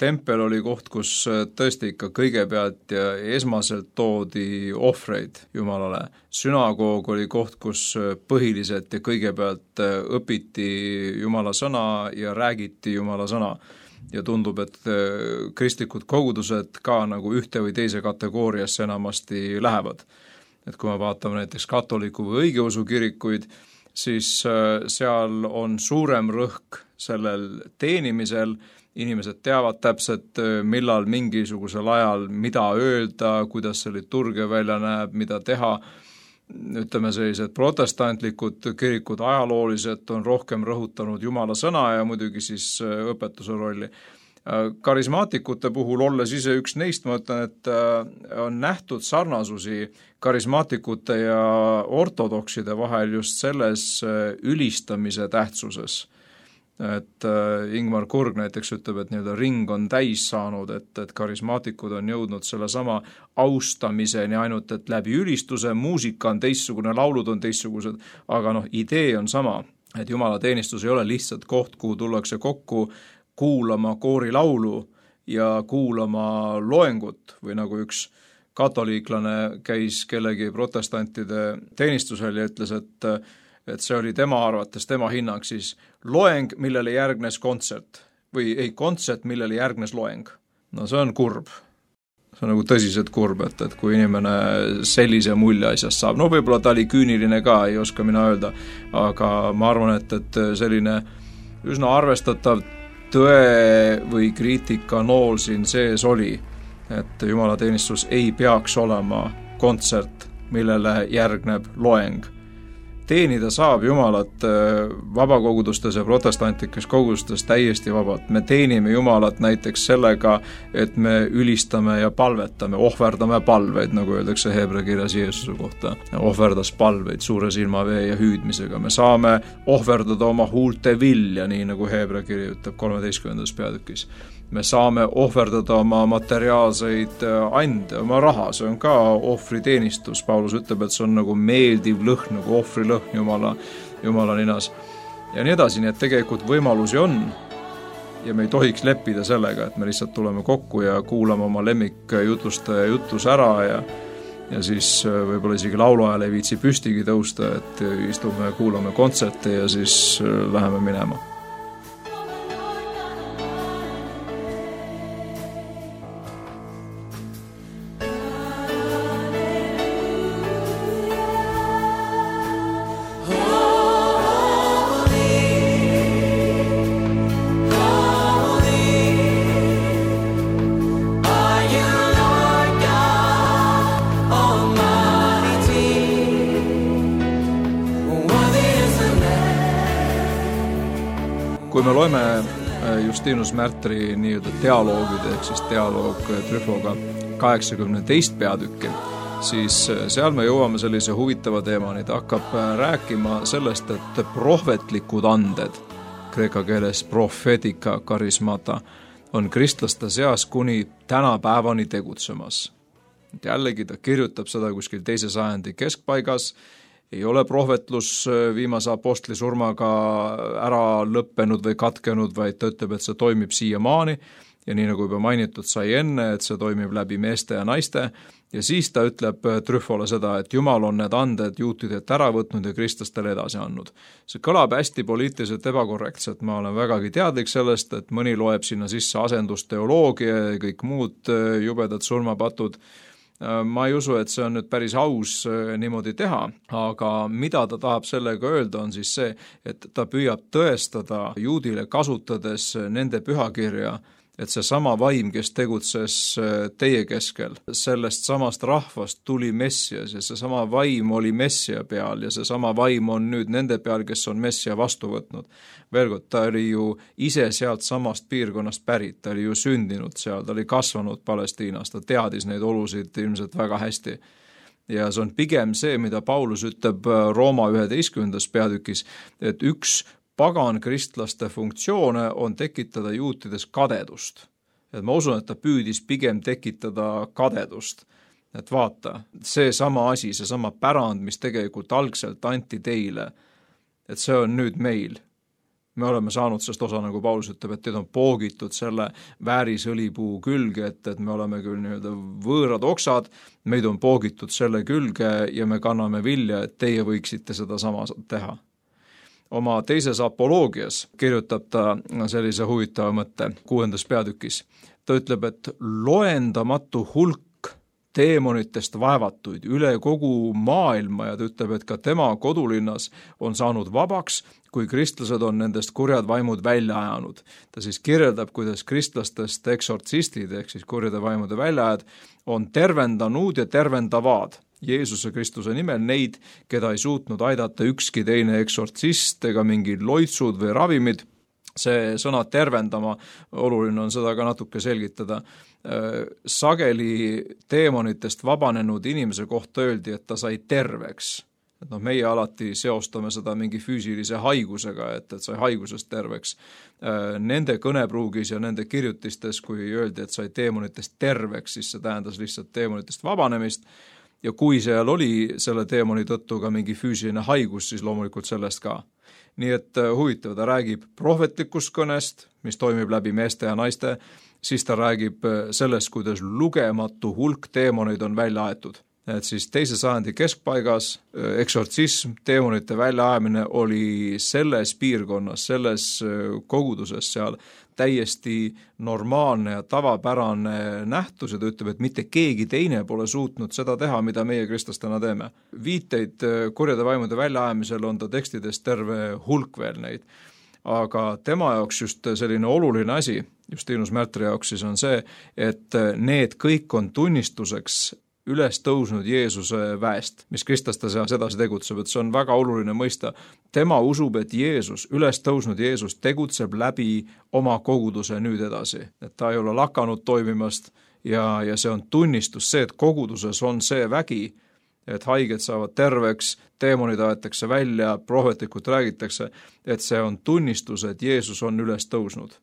Tempel oli koht, kus tõesti ikka kõigepealt ja esmaselt toodi ohvreid Jumalale. Sünagoog oli koht, kus põhiliselt ja kõigepealt õpiti Jumala sõna ja räägiti Jumala sõna. Ja tundub, et kristlikud kogudused ka nagu ühte või teise kategooriasse enamasti lähevad. Et kui me vaatame näiteks katoliku või õigeusu kirikuid, siis seal on suurem rõhk sellel teenimisel. Inimesed teavad täpselt, millal mingisugusel ajal, mida öelda, kuidas see liturgia välja näeb, mida teha. Ütleme sellised protestantlikud kirikud ajaloolised on rohkem rõhutanud Jumala sõna ja muidugi siis õpetuse rolli. Karismaatikute puhul olles ise üks neist, ma ütlen, et on nähtud sarnasusi karismaatikute ja ortodokside vahel just selles ülistamise tähtsuses. Et Ingmar Kurg näiteks ütleb, et nii-öelda ring on täis saanud, et, et karismaatikud on jõudnud selle sama austamiseni ainult, et läbi ülistuse, muusika on teistsugune, laulud on teistsugused, aga noh, idee on sama, et Jumala teenistus ei ole lihtsalt koht, kuhu tullakse kokku, kuulama koorilaulu ja kuulama loengut või nagu üks katoliiklane käis kellegi protestantide teenistusel ja ütles, et, et see oli tema arvates, tema hinnang siis loeng, millele järgnes kontsert või ei, kontsert, millele järgnes loeng. No see on kurb. See on nagu tõsiselt kurb, et, et kui inimene sellise mulje asjast saab. No võib-olla ta oli küüniline ka, ei oska mina öelda, aga ma arvan, et, et selline üsna arvestatav tõe või kriitika nool siin sees oli, et jumalateenistus ei peaks olema kontsert, millele järgneb loeng. Teenida saab Jumalat vabakogudustes ja protestantlikes kogudustes täiesti vabalt. Me teenime Jumalat näiteks sellega, et me ülistame ja palvetame, ohverdame palveid, nagu öeldakse Heebrea kirjas Jeesuse kohta. Ohverdas palveid suure silmavee ja hüüdmisega. Me saame ohverdada oma huulte vilja, nii nagu Heebrea kiri ütleb kolmeteistkümnendas peatükis. Me saame ohverdada oma materiaalseid ande, oma raha, see on ka ohvriteenistus. Paulus ütleb, et see on nagu meeldiv lõhn, nagu ohvrilõhn Jumala, Jumala ninas. Ja nii edasi, nii et tegelikult võimalusi on ja me ei tohiks leppida sellega, et me lihtsalt tuleme kokku ja kuulame oma lemmikjutlustaja jutlus ära ja, ja siis võib-olla isegi lauluajal ei viitsi püstigi tõusta, et istume ja kuulame kontserte ja siis läheme minema. Kui me loeme Justinus Märtri nii-öelda dialoogid, ehk siis dialoog Tryfoga kaheksakümne teist peatükki, siis seal me jõuame sellise huvitava teemani. Ta hakkab rääkima sellest, et prohvetlikud anded, kreeka keeles prophetica charismata, on kristlaste seas kuni tänapäevani tegutsemas. Jällegi ta kirjutab seda kuskil teise sajandi keskpaigas, ei ole prohvetlus viimase apostli surmaga ära lõppenud või katkenud, vaid ta ütleb, et see toimib siiamaani ja nii nagu juba mainitud sai enne, et see toimib läbi meeste ja naiste ja siis ta ütleb Tryfole seda, et Jumal on need anded juutidelt ära võtnud ja kristlastele edasi andnud. See kõlab hästi poliitiliselt ebakorrektselt, ma olen vägagi teadlik sellest, et mõni loeb sinna sisse asendusteoloogia ja kõik muud jubedad surmapatud. Ma ei usu, et see on nüüd päris aus niimoodi teha, aga mida ta tahab sellega öelda on siis see, et ta püüab tõestada juudile kasutades nende pühakirja, et see sama vaim, kes tegutses teie keskel, sellest samast rahvast tuli Messias ja see sama vaim oli Messia peal ja see sama vaim on nüüd nende peal, kes on Messia vastu võtnud. Veel kord, ta oli ju ise sealt samast piirkonnast pärit, ta oli ju sündinud seal, ta oli kasvanud Palestiinas, ta teadis neid olusid ilmselt väga hästi. Ja see on pigem see, mida Paulus ütleb Rooma üheteistkümnendas peatükis, et üks pagan kristlaste funktsioone on tekitada juutides kadedust. Et ma usun, et ta püüdis pigem tekitada kadedust. Et vaata, see sama asi, see sama pärand, mis tegelikult algselt anti teile, et see on nüüd meil. Me oleme saanud sest osa, nagu Paulus ütleb, et teid on poogitud selle väärisõlipuu külge, et, et me oleme küll nii-öelda võõrad oksad, meid on poogitud selle külge ja me kanname vilja, et teie võiksite seda sama teha. Oma teises apoloogias kirjutab ta sellise huvitava mõtte kuuendas peatükis. Ta ütleb, et loendamatu hulk teemonitest vaevatuid üle kogu maailma ja ta ütleb, et ka tema kodulinnas on saanud vabaks, kui kristlased on nendest kurjad vaimud välja ajanud. Ta siis kirjeldab, kuidas kristlastest eksortsistid, ehk siis kurjade vaimude väljaajad, on tervendanud ja tervendavad Jeesuse Kristuse nimel neid, keda ei suutnud aidata ükski teine eksortsist ega mingid loitsud või ravimid. See sõna tervendama, oluline on seda ka natuke selgitada. Sageli teemonitest vabanenud inimese kohta öeldi, et ta sai terveks. Et no, meie alati seostame seda mingi füüsilise haigusega, et, et sai haigusest terveks. Nende kõnepruugis ja nende kirjutistes, kui öeldi, et sai teemonitest terveks, siis see tähendas lihtsalt teemonitest vabanemist. Ja kui seal oli selle teemoni tõttu ka mingi füüsiline haigus, siis loomulikult sellest ka. nii et huvitav, ta räägib prohvetlikust kõnest, mis toimib läbi meeste ja naiste, siis ta räägib sellest, kuidas lugematu hulk teemoneid on välja aetud. Et siis teise sajandi keskpaigas eksortsism, teemonite väljaajamine oli selles piirkonnas, selles koguduses seal täiesti normaalne ja tavapärane nähtus ja ta ütleb, et mitte keegi teine pole suutnud seda teha, mida meie kristlastena teeme. Viiteid kurjade vaimude väljaajamisel on ta tekstides terve hulk veel neid. Aga tema jaoks just selline oluline asi, Justinus Märtri jaoks siis on see, et need kõik on tunnistuseks üles tõusnud Jeesuse väest, mis kristlaste seas edasi tegutseb, et see on väga oluline mõista. Tema usub, et Jeesus, üles tõusnud Jeesus tegutseb läbi oma koguduse nüüd edasi, et ta ei ole lakanud toimimast ja, ja see on tunnistus, see, et koguduses on see vägi, et haiged saavad terveks, teemonid aetakse välja, prohvetlikult räägitakse, et see on tunnistus, et Jeesus on üles tõusnud.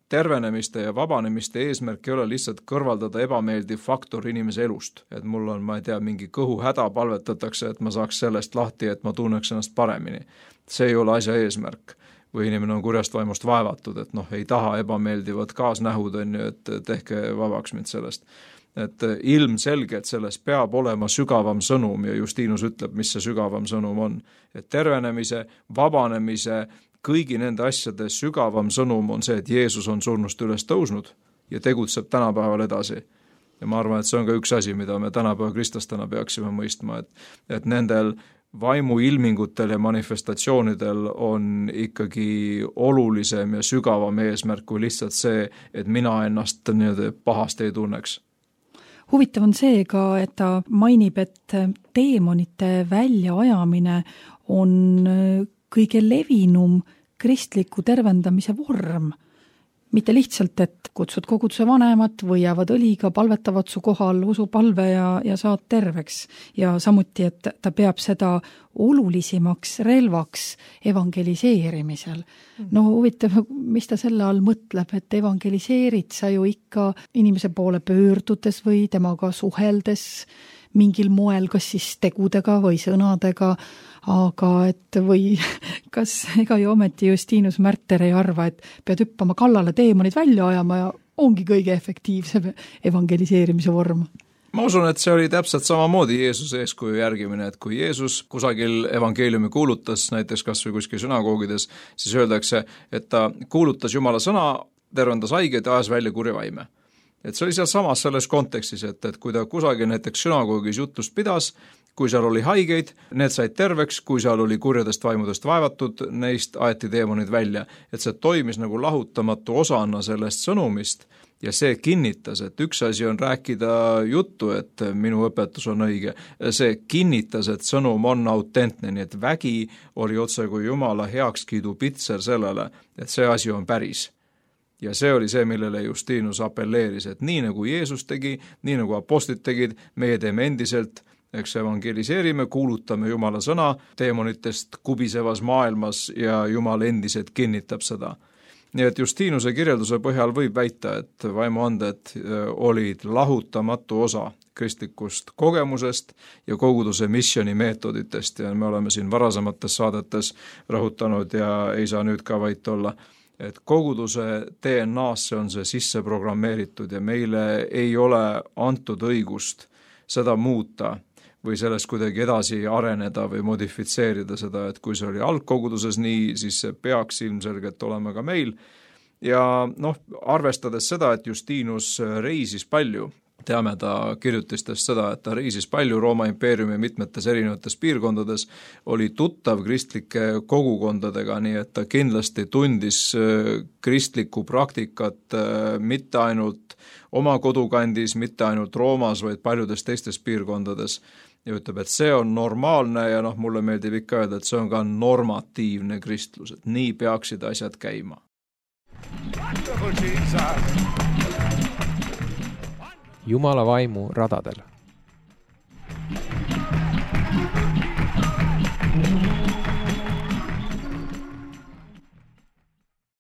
Tervenemiste ja vabanemiste eesmärk ei ole lihtsalt kõrvaldada ebameeldiv faktor inimese elust. Et mul on, ma ei tea, mingi kõhu häda palvetatakse, et ma saaks sellest lahti, et ma tunneks ennast paremini. See ei ole asja eesmärk. Või inimene on kurjast vaimust vaevatud, et noh, ei taha ebameeldivat kaasnähud, on ju, et tehke vabaks mind sellest. Et ilmselge, et selles peab olema sügavam sõnum ja Justinus ütleb, mis see sügavam sõnum on. Et tervenemise, vabanemise, kõigi nende asjade sügavam sõnum on see, et Jeesus on surnust üles tõusnud ja tegutseb tänapäeval edasi. Ja ma arvan, et see on ka üks asi, mida me tänapäeva kristlastena peaksime mõistma, et, et nendel vaimu ilmingutel ja manifestatsioonidel on ikkagi olulisem ja sügavam eesmärk kui lihtsalt see, et mina ennast nii-öelda pahasti ei tunneks. Huvitav on see ka, et ta mainib, et teemonite väljaajamine on kõige levinum kristliku tervendamise vorm. Mitte lihtsalt, et kutsud koguduse vanemat või jäävad õliga, palvetavad su kohal, usupalve ja, ja saad terveks. Ja samuti, et ta peab seda olulisimaks relvaks evangeliseerimisel. No huvitav, mis ta selle all mõtleb, et evangeliseerid sa ju ikka inimese poole pöördudes või temaga suheldes mingil moel, kas siis tegudega või sõnadega, aga et või kas ega ju ometi Justinus Märter ei arva, et pead hüppama kallale teemonid välja ajama ja ongi kõige efektiivsem evangeliseerimise vorm. Ma usun, et see oli täpselt samamoodi Jeesuse eeskuju järgimine, et kui Jeesus kusagil evangeeliumi kuulutas, näiteks kas või kuskil sünagoogides, siis öeldakse, et ta kuulutas Jumala sõna, tervendas haiged ja ajas välja kurja vaime. Et see oli seal samas selles kontekstis, et, et kui ta kusagil näiteks sünagoogis jutlust pidas, kui seal oli haigeid, need said terveks, kui seal oli kurjadest vaimudest vaevatud, neist aeti teemonid välja. Et see toimis nagu lahutamatu osana sellest sõnumist ja see kinnitas, et üks asi on rääkida juttu, et minu õpetus on õige. See kinnitas, et sõnum on autentne, nii et vägi oli otse kui Jumala heakskiidu pitser sellele, et see asi on päris. Ja see oli see, millele Justinus appelleeris, et nii nagu Jeesus tegi, nii nagu apostlid tegid, meie teeme endiselt, eks evangeliseerime, kuulutame Jumala sõna teemonitest kubisevas maailmas ja Jumal endiselt kinnitab seda. Nii et Justinuse kirjelduse põhjal võib väita, et vaimuanded olid lahutamatu osa kristlikust kogemusest ja koguduse missioni meetoditest ja me oleme siin varasemates saadetes rõhutanud ja ei saa nüüd ka vait olla, et koguduse D N A-sse on see sisse programmeeritud ja meile ei ole antud õigust seda muuta või sellest kuidagi edasi areneda või modifitseerida seda, et kui see oli algkoguduses nii, siis see peaks ilmselgelt olema ka meil. Ja noh, arvestades seda, et Justinus reisis palju, teame ta kirjutistest seda, et ta reisis palju Rooma impeeriumi mitmetes erinevates piirkondades, oli tuttav kristlike kogukondadega, nii et ta kindlasti tundis kristlikku praktikat mitte ainult oma kodukandis, mitte ainult Roomas, vaid paljudes teistes piirkondades. Ja ütleb, et see on normaalne ja noh, mulle meeldib ikka öelda, et see on ka normatiivne kristlus, et nii peaksid asjad käima. Jumala vaimu radadel.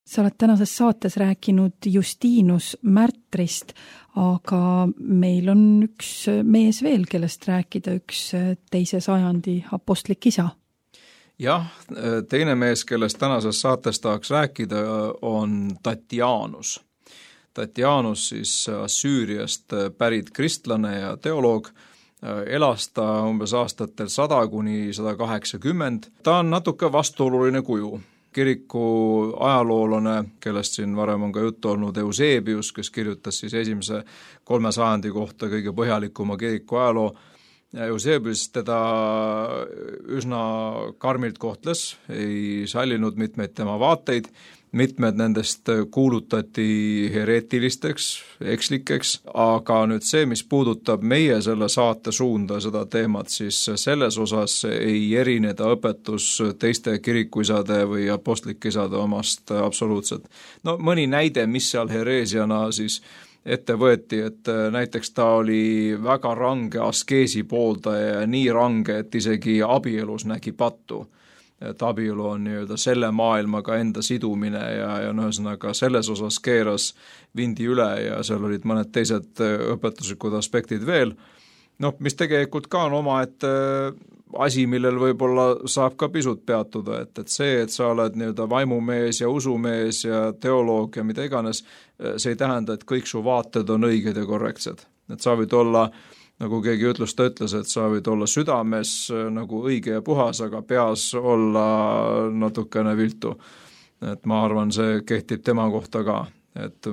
Sa oled tänases saates rääkinud Justinus Märtrist, aga meil on üks mees veel, kellest rääkida, üks teise sajandi apostlik isa. jah, teine mees, kellest tänases saates tahaks rääkida, on Tatianus. Tatianus siis Süüriast pärit kristlane ja teoloog, elas ta umbes aastatel sada kuni sada kaheksakümmend. Ta on natuke vastuoluline kuju. Kiriku ajaloolane, kellest siin varem on ka juttu olnud, Eusebius, kes kirjutas siis esimese kolme sajandi kohta kõige põhjalikuma kiriku ajaloo. Eusebius teda üsna karmilt kohtles, ei sallinud mitmeid tema vaateid, mitmed nendest kuulutati hereetilisteks, ekslikeks, aga nüüd see, mis puudutab meie selle saate suunda, seda teemat, siis selles osas ei erineda õpetus teiste kirikuisade või apostlike isade omast absoluutselt. No mõni näide, mis seal hereesiana siis ette võeti, et näiteks ta oli väga range askeesi pooldaja ja nii range, et isegi abielus nägi pattu. Et abielu on nii-öelda selle maailmaga enda sidumine ja, ja no ühesõnaga selles osas keeras vindi üle ja seal olid mõned teised õpetuslikud aspektid veel. No, mis tegelikult ka on oma, et asi, millel võib-olla saab ka pisut peatuda, et, et see, et sa oled nii-öelda vaimumees ja usumees ja teoloog ja mida iganes, see ei tähenda, et kõik su vaated on õiged ja korrektsed. Et sa võid olla, nagu keegi ütlus, ta ütles, et sa võid olla südames nagu õige ja puhas, aga peas olla natukene viltu. Et ma arvan, see kehtib tema kohta ka. Et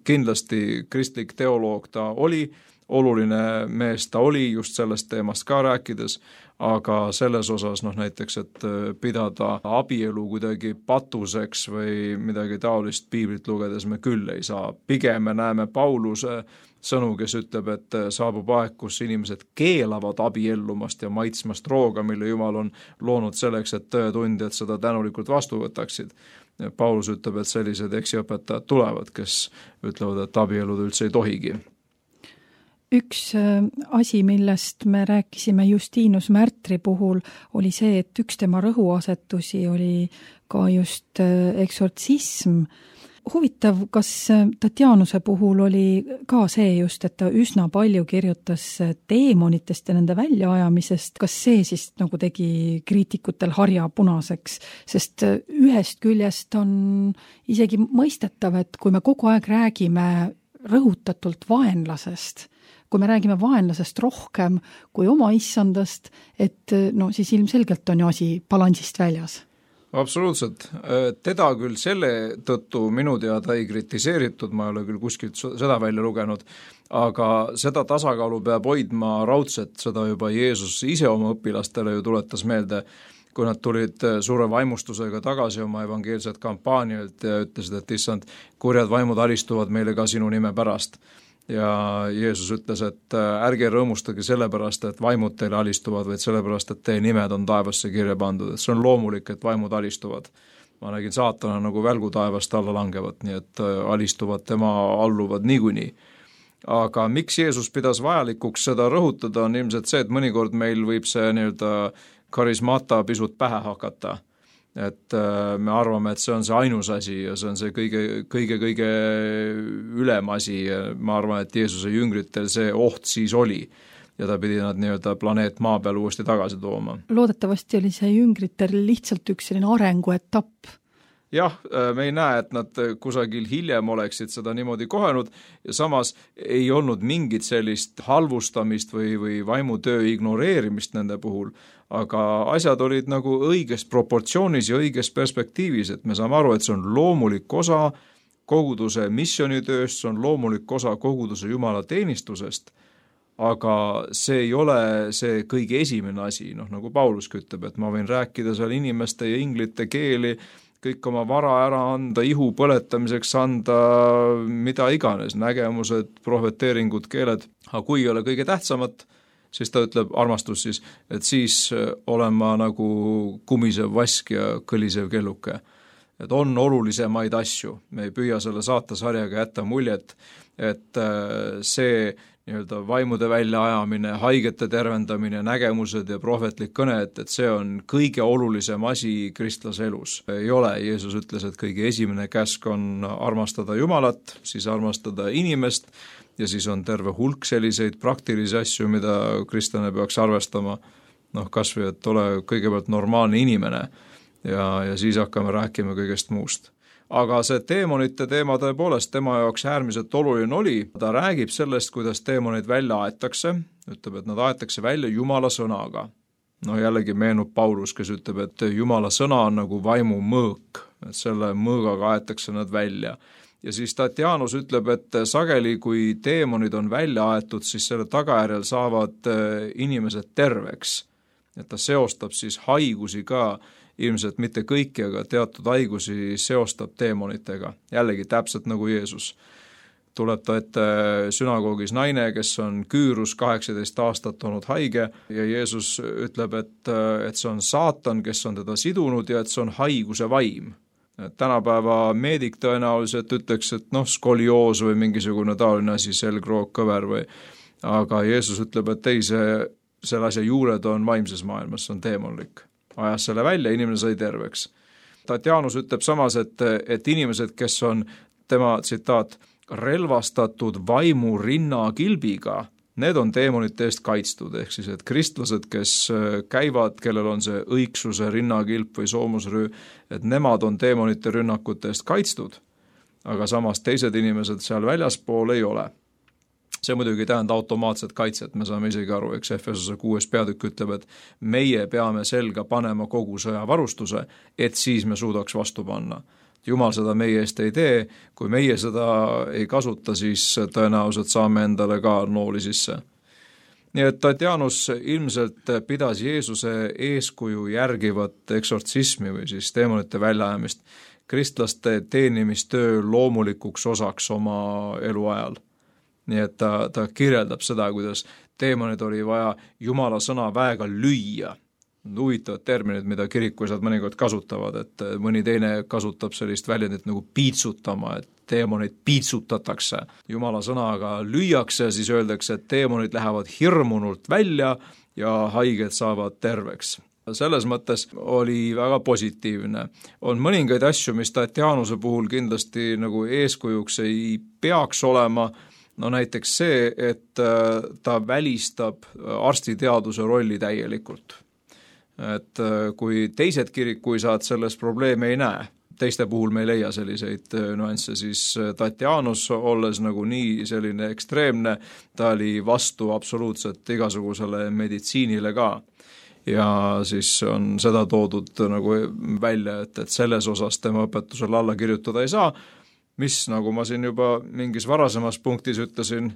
kindlasti kristlik teoloog ta oli, oluline mees ta oli just sellest teemast ka rääkides, aga selles osas noh näiteks, et pidada abielu kuidagi patuseks või midagi taolist piiblit lugedes me küll ei saa. Pigem me näeme Pauluse sõnu, kes ütleb, et saabub aeg, kus inimesed keelavad abiellumast ja maitsmast rooga, mille Jumal on loonud selleks, et tõetundjad seda tänulikult vastu võtaksid. Paulus ütleb, et sellised eksiõpetajad tulevad, kes ütlevad, et abielud üldse ei tohigi. Üks asi, millest me rääkisime Justinus Märtri puhul, oli see, et üks tema rõhuasetusi oli ka just eksortsism. Huvitav, kas Tatianuse puhul oli ka see just, et ta üsna palju kirjutas teemonitest ja nende väljaajamisest, kas see siis nagu tegi kriitikutel harja punaseks, sest ühest küljest on isegi mõistetav, et kui me kogu aeg räägime rõhutatult vaenlasest, kui me räägime vaenlasest rohkem kui oma issandast, et no siis ilmselgelt on ju asi balansist väljas. Absoluutselt. Teda küll selle tõttu minu teada ei kritiseeritud, ma ei ole küll kuskilt seda välja lugenud, aga seda tasakaalu peab hoidma raudselt, seda juba Jeesus ise oma õpilastele ju tuletas meelde, kui nad tulid suure vaimustusega tagasi oma evangeelset kampaanialt ja ütlesid, et issand, kurjad vaimud alistuvad meile ka sinu nime pärast. Ja Jeesus ütles, et ärge rõõmustage sellepärast, et vaimud teile alistuvad, vaid sellepärast, et teie nimed on taevasse kirja pandud. Et see on loomulik, et vaimud alistuvad. Ma nägin saatana nagu välgu taevast alla langevat, nii et alistuvad, tema alluvad niikuinii. Aga miks Jeesus pidas vajalikuks seda rõhutada, on ilmselt see, et mõnikord meil võib see nii-öelda karismata pisut pähe hakata. Et me arvame, et see on see ainus asi ja see on see kõige, kõige, kõige ülem asi. Ma arvan, et Jeesuse jüngritel see oht siis oli ja ta pidi nad nii-öelda planeet maa peal uuesti tagasi tooma. Loodetavasti oli see jüngritel lihtsalt üks selline arenguetapp. Jah, me ei näe, et nad kusagil hiljem oleksid seda niimoodi kohenud ja samas ei olnud mingit sellist halvustamist või, või vaimutöö ignoreerimist nende puhul, aga asjad olid nagu õiges proportsioonis ja õiges perspektiivis, et me saame aru, et see on loomulik osa koguduse missionitööst, see on loomulik osa koguduse Jumala teenistusest, aga see ei ole see kõige esimene asi, noh nagu Paulus ütleb, et ma võin rääkida seal inimeste ja inglite keeli, kõik oma vara ära anda, ihu põletamiseks anda, mida iganes, nägemused, prohveteeringud, keeled, aga kui ei ole kõige tähtsamat, siis ta ütleb, armastus siis, et siis olen ma nagu kumisev vask ja kõlisev kelluke. Et on olulisemaid asju, me ei püüa selle saatesarjaga jätta muljet, et see nii-öelda vaimude väljaajamine, haigete tervendamine, nägemused ja prohvetlik kõne, et, et see on kõige olulisem asi kristlase elus. Ei ole, Jeesus ütles, et kõige esimene käsk on armastada Jumalat, siis armastada inimest ja siis on terve hulk selliseid praktilisi asju, mida kristlane peaks arvestama. noh, kas või, et ole kõigepealt normaalne inimene ja, ja siis hakkame rääkima kõigest muust. Aga see teemonite teema tõepoolest tema jaoks äärmiselt oluline oli, ta räägib sellest, kuidas teemonid välja aetakse, ütleb, et nad aetakse välja Jumala sõnaga. No jällegi meenub Paulus, kes ütleb, et Jumala sõna on nagu vaimu mõõk, et selle mõõgaga aetakse nad välja. Ja siis Tatianus ütleb, et sageli, kui teemonid on välja aetud, siis selle tagajärjel saavad inimesed terveks. Et ta seostab siis haigusi ka, ilmselt mitte kõiki, aga teatud haigusi seostab teemonitega. Jällegi täpselt nagu Jeesus. Tuleb ta ette sünagoogis naine, kes on küürus kaheksateist aastat olnud haige ja Jeesus ütleb, et, et see on saatan, kes on teda sidunud ja et see on haiguse vaim. Et tänapäeva meedik tõenäoliselt ütleks, et noh, skolioos või mingisugune taoline asi, selgroog, kõver või, aga Jeesus ütleb, et ei, see, selle asja juured on vaimses maailmas, see on teemonlik. Ajas selle välja, inimene sai terveks. Tatianus ütleb samas, et, et inimesed, kes on tema tsitaat, relvastatud vaimu rinnakilbiga, need on teemonite eest kaitstud, ehk siis, et kristlased, kes käivad, kellel on see õigsuse rinnakilp või soomusrüü, et nemad on teemonite rünnakute eest kaitstud, aga samas teised inimesed seal väljaspool ei ole. See muidugi tähendab automaatset kaitset, me saame isegi aru, eks Efesose kuues peatükk ütleb, et meie peame selga panema kogu sõjavarustuse, et siis me suudaks vastu panna. Jumal seda meie eest ei tee, kui meie seda ei kasuta, siis tõenäoliselt saame endale ka nooli sisse. Nii et Tatianus ilmselt pidas Jeesuse eeskuju järgivat eksortsismi või siis teemonite väljaajamist kristlaste teenimistöö loomulikuks osaks oma eluajal. Nii et ta, ta kirjeldab seda, kuidas teemonid oli vaja Jumala sõna väega lüüa. Huvitavad terminid, mida kirikuisad mõnikord kasutavad, et mõni teine kasutab sellist väljendit nagu piitsutama, et teemonid piitsutatakse. Jumala sõnaga lüüakse ja siis öeldakse, et teemonid lähevad hirmunult välja ja haiged saavad terveks. Selles mõttes oli väga positiivne. On mõningaid asju, mis Tatianuse puhul kindlasti nagu eeskujuks ei peaks olema. No näiteks see, et ta välistab arstiteaduse rolli täielikult. Et kui teised kirikuisad selles probleeme ei näe, teiste puhul me ei leia selliseid nüansse, siis Tatianus, olles nagu nii selline ekstreemne, ta oli vastu absoluutselt igasugusele meditsiinile ka. Ja siis on seda toodud nagu välja, et, et selles osas tema õpetusele alla kirjutada ei saa, mis, nagu ma siin juba mingis varasemas punktis ütlesin,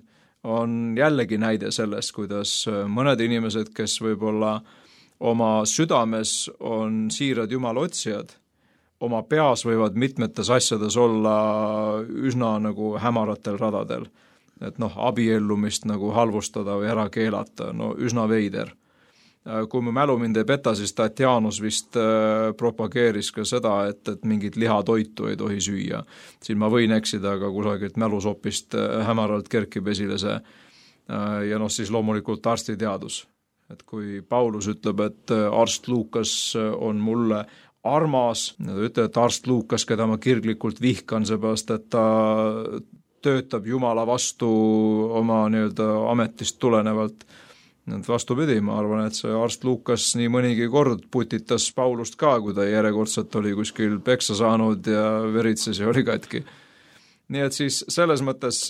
on jällegi näide sellest, kuidas mõned inimesed, kes võib-olla oma südames on siirad Jumala otsijad, oma peas võivad mitmetes asjades olla üsna nagu hämaratel radadel. Et noh, abiellumist nagu halvustada või ära keelata, no üsna veider. Kui mu mälu mind ei peta, siis Tatianus vist propageeris ka seda, et, et mingit lihatoitu ei tohi süüa. Siin ma võin eksida, aga kusagilt mälusopist hämaralt kerkib esile see. Ja noh, siis loomulikult arstiteadus. Et kui Paulus ütleb, et arst Luukas on mulle armas, ütleb, et arst Luukas, keda ma kirglikult vihkan, seepärast, et ta töötab Jumala vastu oma nii-öelda ametist tulenevalt. Vastupidi, ma arvan, et see arst Luukas nii mõnigi kord putitas Paulust ka, kui ta järjekordselt oli kuskil peksa saanud ja veritses ja oli katki. Nii et siis selles mõttes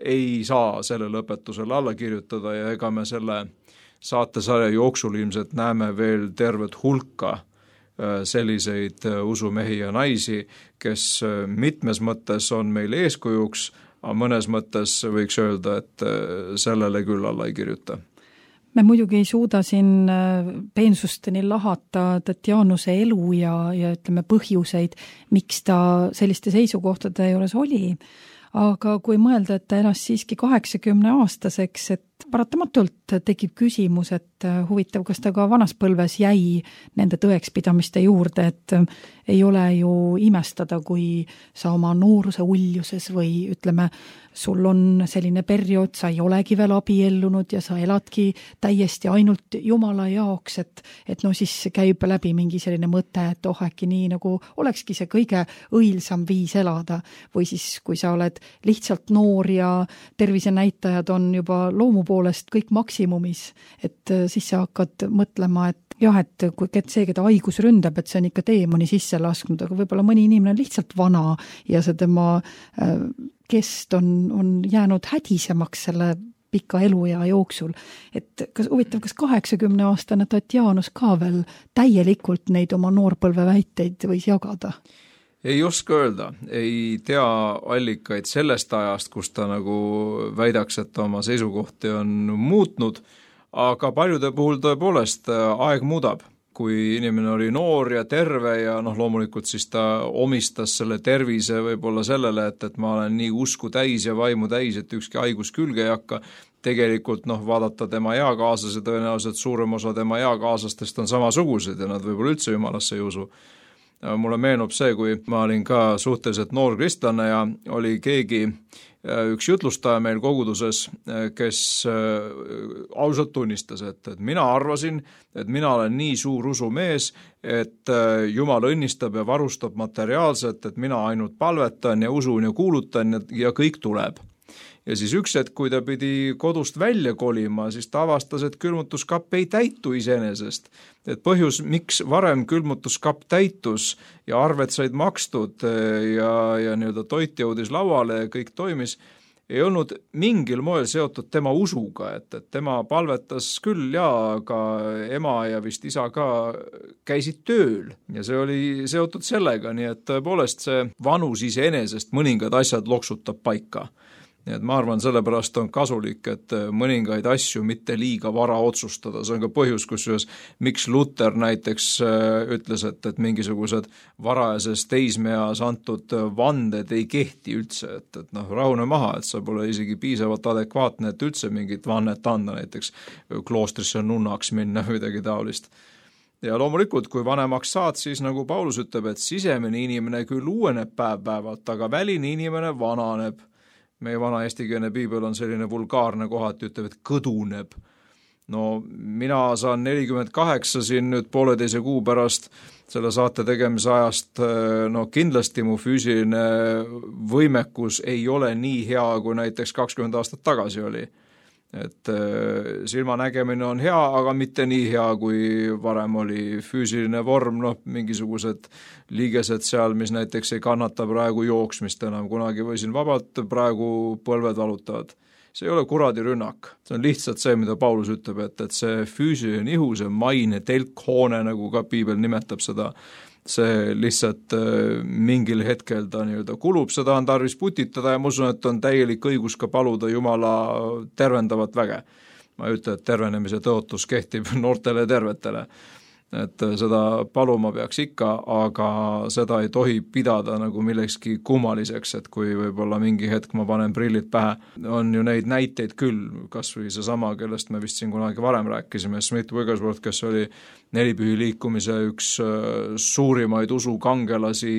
ei saa sellele õpetusele alla kirjutada ja ega me selle saatesarja jooksul ilmselt näeme veel tervet hulka selliseid usumehi ja naisi, kes mitmes mõttes on meil eeskujuks, aga mõnes mõttes võiks öelda, et sellele küll alla ei kirjuta. Me muidugi ei suuda siin peensusteni lahata Tatianuse elu ja, ja ütleme põhjuseid, miks ta selliste seisukohtade juures oli. Aga kui mõelda, et ta elas siiski kaheksakümne aastaseks, et paratamatult tekib küsimus, et huvitav, kas ta ka vanas põlves jäi nende tõekspidamiste juurde, et ei ole ju imestada, kui sa oma nooruse uljuses või ütleme, sul on selline periood, sa ei olegi veel abiellunud ja sa eladki täiesti ainult Jumala jaoks, et, et no siis käib läbi mingi selline mõte, et oh äkki nii nagu olekski see kõige õilsam viis elada või siis kui sa oled lihtsalt noor ja tervisenäitajad on juba loomu poolest kõik maksimumis, et siis sa hakkad mõtlema, et jah, et kui see, keda haigus ründab, et see on ikka teemoni sisse lasknud, aga võib-olla mõni inimene on lihtsalt vana ja see tema kest on, on jäänud hädisemaks selle pika eluea jooksul. Et kas huvitav, kas kaheksakümne aastane Tatjanus ka veel täielikult neid oma noorpõlve väiteid võis jagada? Ei oska öelda, ei tea allikaid sellest ajast, kus ta nagu väidaks, et oma seisukohti on muutnud, aga paljude puhul tõepoolest aeg muudab. Kui inimene oli noor ja terve ja noh, loomulikult siis ta omistas selle tervise võib-olla sellele, et, et ma olen nii usku täis ja vaimu täis, et ükski haigus külge ei hakka. Tegelikult noh, vaadata tema eakaaslase, tõenäoliselt suurem osa tema eakaaslastest on samasugused ja nad võib-olla üldse jumalasse ei usu. Mulle meenub see, kui ma olin ka suhteliselt noor kristlane ja oli keegi, üks jutlustaja meil koguduses, kes ausalt tunnistas, et, et mina arvasin, et mina olen nii suur usumees, et Jumal õnnistab ja varustab materiaalselt, et mina ainult palvetan ja usun ja kuulutan ja, ja kõik tuleb. Ja siis üks hetk, kui ta pidi kodust välja kolima, siis ta avastas, et külmutuskapp ei täitu iseenesest. Et põhjus, miks varem külmutuskapp täitus ja arved said makstud ja, ja nii-öelda toit jõudis lauale ja kõik toimis, ei olnud mingil moel seotud tema usuga, et, et tema palvetas küll ja ka ema ja vist isa ka käisid tööl ja see oli seotud sellega, nii et tõepoolest see vanus iseenesest mõningad asjad loksutab paika. Nii et ma arvan, sellepärast on kasulik, et mõningaid asju mitte liiga vara otsustada. See on ka põhjus, kusjuures miks Luther näiteks ütles, et, et mingisugused varajases teismeas antud vanded ei kehti üldse, et, et noh, rahune maha, et sa pole isegi piisavalt adekvaatne, et üldse mingit vannet anda, näiteks kloostrisse nunnaks minna või midagi taolist. Ja loomulikult, kui vanemaks saad, siis nagu Paulus ütleb, et sisemine inimene küll uueneb päev-päevalt, aga väline inimene vananeb. Meie vana eestikeelne piibel on selline vulgaarne kohati, ütleb, et kõduneb. No mina saan nelikümmend kaheksa siin nüüd pooleteise kuu pärast selle saate tegemise ajast, no kindlasti mu füüsiline võimekus ei ole nii hea, kui näiteks kakskümmend aastat tagasi oli. Et silmanägemine on hea, aga mitte nii hea, kui varem oli füüsiline vorm, noh, mingisugused liigesed seal, mis näiteks ei kannata praegu jooksmist enam, kunagi võisin vabalt, praegu põlved valutavad. See ei ole kuradi rünnak, see on lihtsalt see, mida Paulus ütleb, et, et see füüsiline ihu, see maine telkhoone, nagu ka piibel nimetab seda, see lihtsalt mingil hetkel ta nii-öelda kulub, seda on tarvis putitada ja ma usun, et on täielik õigus ka paluda Jumala tervendavat väge. Ma ei ütle, et tervenemise tõotus kehtib noortele tervetele, et seda paluma peaks ikka, aga seda ei tohi pidada nagu millekski kummaliseks, et kui võib-olla mingi hetk ma panen prillid pähe, on ju neid näiteid küll, kas või see sama, kellest me vist siin kunagi varem rääkisime, Smith Wigglesworth, kes oli nelipühi liikumise üks suurimaid usukangelasi,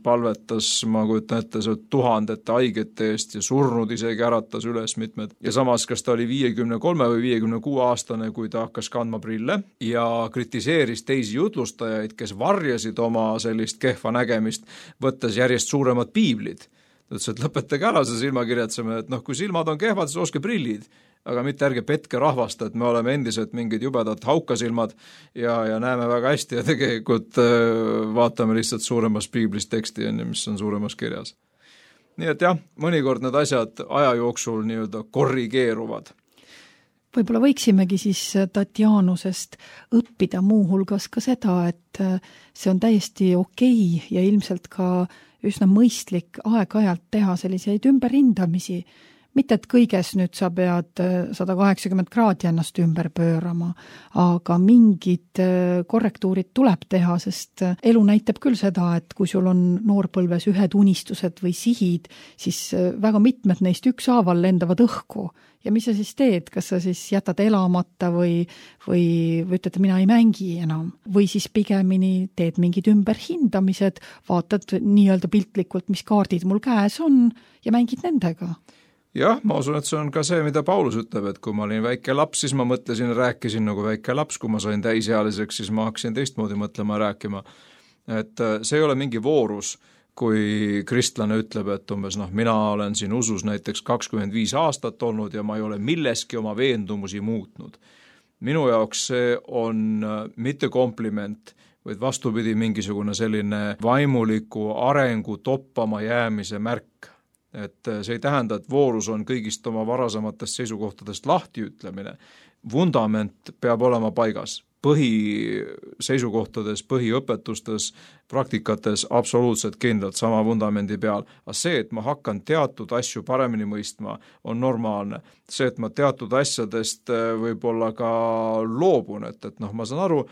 palvetas, ma kujutan ette, see tuhandete haigete eest ja surnud isegi äratas üles mitmed. Ja samas, kas ta oli viiekümne kolme või viiekümne kuue aastane, kui ta hakkas kandma prille ja kritiseeris teisi jutlustajaid, kes varjasid oma sellist kehva nägemist, võttes järjest suuremad piiblid. Ta ütles, et lõpetage ära see silmakirjatseme, et noh, kui silmad on kehvad, siis oske prillid. Aga mitte ärge petke rahvast, et me oleme endiselt mingid jubedad haukasilmad ja, ja näeme väga hästi ja tegelikult vaatame lihtsalt suuremas piiblis teksti, mis on suuremas kirjas. Nii et jah, mõnikord need asjad aja jooksul nii-öelda korrigeeruvad. Võib-olla võiksimegi siis Tatjanusest õppida muu hulgas ka seda, et see on täiesti okei ja ilmselt ka üsna mõistlik aeg-ajalt teha selliseid ümberhindamisi. Mitte, et kõiges nüüd sa pead sada kaheksakümmend kraadi ennast ümber pöörama, aga mingid korrektuurid tuleb teha, sest elu näitab küll seda, et kui sul on noorpõlves ühed unistused või sihid, siis väga mitmed neist ükshaaval lendavad õhku. Ja mis sa siis teed? Kas sa siis jätad elamata või, või, või ütled, mina ei mängi enam? Või siis pigemini teed mingid ümberhindamised, vaatad nii-öelda piltlikult, mis kaardid mul käes on ja mängid nendega. Jah, ma usun, et see on ka see, mida Paulus ütleb, et kui ma olin väike laps, siis ma mõtlesin ja rääkisin nagu väike laps, kui ma sain täisealiseks, siis ma hakkasin teistmoodi mõtlema ja rääkima. Et see ei ole mingi voorus, kui kristlane ütleb, et umbes noh, mina olen siin usus näiteks kakskümmend viis aastat olnud ja ma ei ole milleski oma veendumusi muutnud. Minu jaoks see on mitte kompliment, vaid vastupidi mingisugune selline vaimuliku arengu toppama jäämise märk. Et see ei tähenda, et voorus on kõigist oma varasematest seisukohtadest lahti ütlemine. Vundament peab olema paigas. Põhiseisukohtades, põhiõpetustes, praktikates absoluutselt kindlalt sama vundamendi peal. Aga see, et ma hakkan teatud asju paremini mõistma, on normaalne. See, et ma teatud asjadest võib-olla ka loobun, et, et noh, ma saan aru,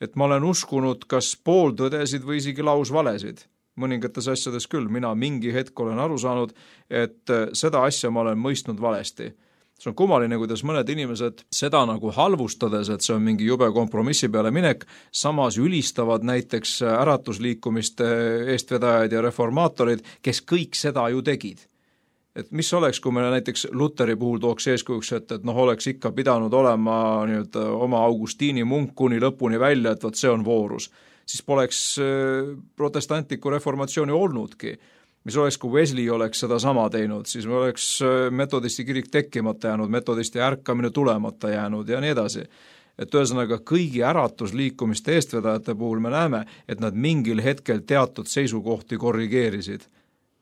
et ma olen uskunud kas pooltõdesid või isegi lausvalesid. Mõningates asjades küll, mina mingi hetk olen aru saanud, et seda asja ma olen mõistnud valesti. See on kummaline, kuidas mõned inimesed seda nagu halvustades, et see on mingi jube kompromissi peale minek, samas ülistavad näiteks äratusliikumiste eestvedajaid ja reformaatorid, kes kõik seda ju tegid. Et mis oleks, kui me näiteks Luteri puhul tooks eeskujuks, et, et noh, oleks ikka pidanud olema nüüd, oma Augustiini munk kuni lõpuni välja, et võt see on voorus. Siis poleks protestantliku reformatsiooni olnudki. Mis oleks, kui Wesley oleks seda sama teinud, siis me oleks metodisti kirik tekkimata jäänud, metodisti ärkamine tulemata jäänud ja nii edasi. Et ühesõnaga kõigi äratusliikumiste eestvedajate puhul me näeme, et nad mingil hetkel teatud seisukohti korrigeerisid.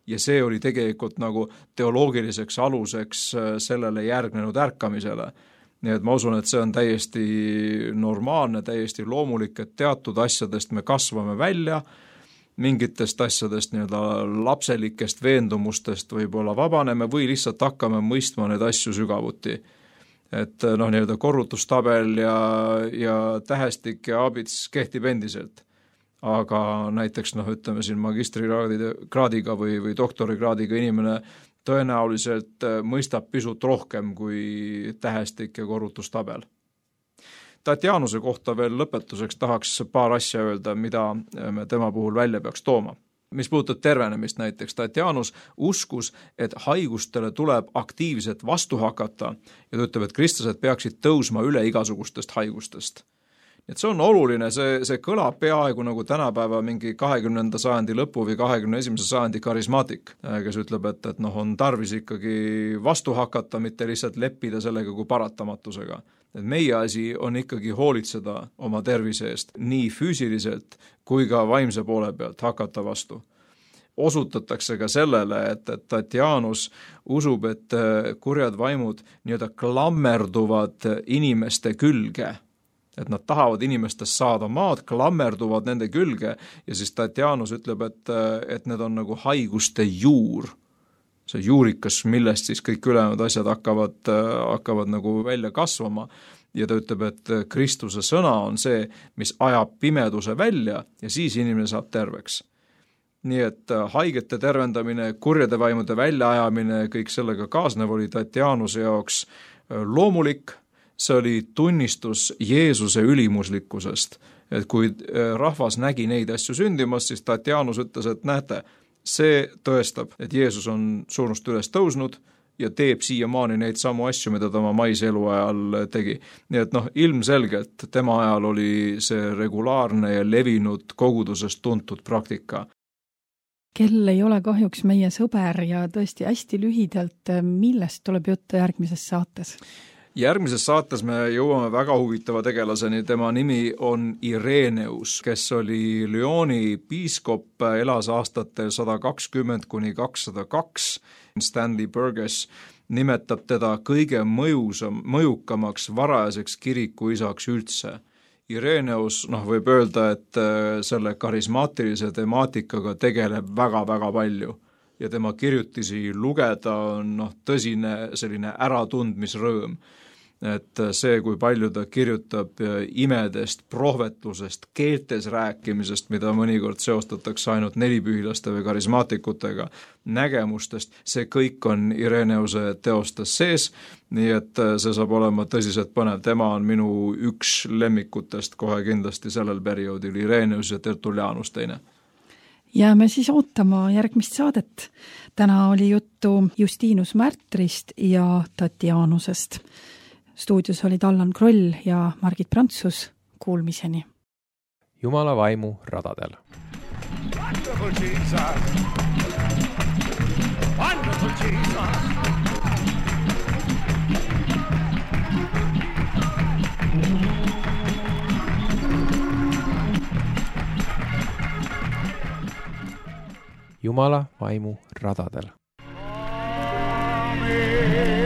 Ja see oli tegelikult nagu teoloogiliseks aluseks sellele järgnenud ärkamisele. Nii et ma usun, et see on täiesti normaalne, täiesti loomulik, et teatud asjadest me kasvame välja, mingitest asjadest nii-öelda lapselikest veendumustest võib-olla vabaneme või lihtsalt hakkame mõistma need asju sügavuti. Et noh, nii-öelda korrutustabel ja, ja tähestik ja abits kehtib endiselt. Aga näiteks noh, ütleme siin magistrikraadiga või, või doktorikraadiga inimene tõenäoliselt mõistab pisut rohkem kui tähestik ja korrutustabel. Tatianuse kohta veel lõpetuseks tahaks paar asja öelda, mida me tema puhul välja peaks tooma. Mis puudutab tervenemist näiteks, Tatianus uskus, et haigustele tuleb aktiivselt vastu hakata ja ta ütleb, et kristlased peaksid tõusma üle igasugustest haigustest. Et see on oluline, see, see kõlab peaaegu nagu tänapäeva mingi kahekümnenda sajandi lõpu või kahekümne esimese sajandi karismaatik, kes ütleb, et, et noh, on tarvis ikkagi vastu hakata, mitte lihtsalt leppida sellega kui paratamatusega. Et meie asi on ikkagi hoolitseda oma tervise eest nii füüsiliselt kui ka vaimse poole pealt hakata vastu. Osutatakse ka sellele, et, et Tatianus usub, et kurjad vaimud nii-öelda klammerduvad inimeste külge, et nad tahavad inimestest saada maad, klammerduvad nende külge ja siis Tatianus ütleb, et, et need on nagu haiguste juur. See juurikas, millest siis kõik ülejäänud asjad hakkavad, hakkavad nagu välja kasvama ja ta ütleb, et Kristuse sõna on see, mis ajab pimeduse välja ja siis inimene saab terveks. Nii et haigete tervendamine, kurjade vaimude väljaajamine, kõik sellega kaasnev oli Tatianuse jaoks loomulik. See oli tunnistus Jeesuse ülimuslikkusest, et kui rahvas nägi neid asju sündimas, siis Tatianus ütles, et näete, see tõestab, et Jeesus on surnust üles tõusnud ja teeb siiamaani neid samu asju, mida ta oma maise elu ajal tegi. Nii et noh, ilmselgelt tema ajal oli see regulaarne ja levinud kogudusest tuntud praktika. Kell ei ole kahjuks meie sõber ja tõesti hästi lühidalt, millest tuleb juttu järgmises saates? Järgmises saates me jõuame väga huvitava tegelaseni, tema nimi on Ireneus, kes oli Lyoni piiskop, elas aastatel sada kakskümmend kuni kakssada kaks. Stanley Burgess nimetab teda kõige mõjusam, mõjukamaks varajaseks kirikuisaks üldse. Ireneus, noh, võib öelda, et selle karismaatilise temaatikaga tegeleb väga-väga palju ja tema kirjutisi lugeda on noh, tõsine selline äratundmisrõõm. Et see, kui palju ta kirjutab imedest, prohvetlusest, keeltes rääkimisest, mida mõnikord seostatakse ainult nelipühilaste või karismaatikutega, nägemustest, see kõik on Ireneuse teostes sees, nii et see saab olema tõsiselt põnev. Tema on minu üks lemmikutest kohe kindlasti sellel perioodil, Ireneus ja Tertullianus teine. Jääme siis ootama järgmist saadet. Täna oli juttu Justinus Märtrist ja Tatianusest. Stuudios olid Allan Kroll ja Margit Prantsus. Kuulmiseni. Jumala vaimu radadel. Wonderful Jesus. Wonderful Jesus. Jumala vaimu radadel. Amen.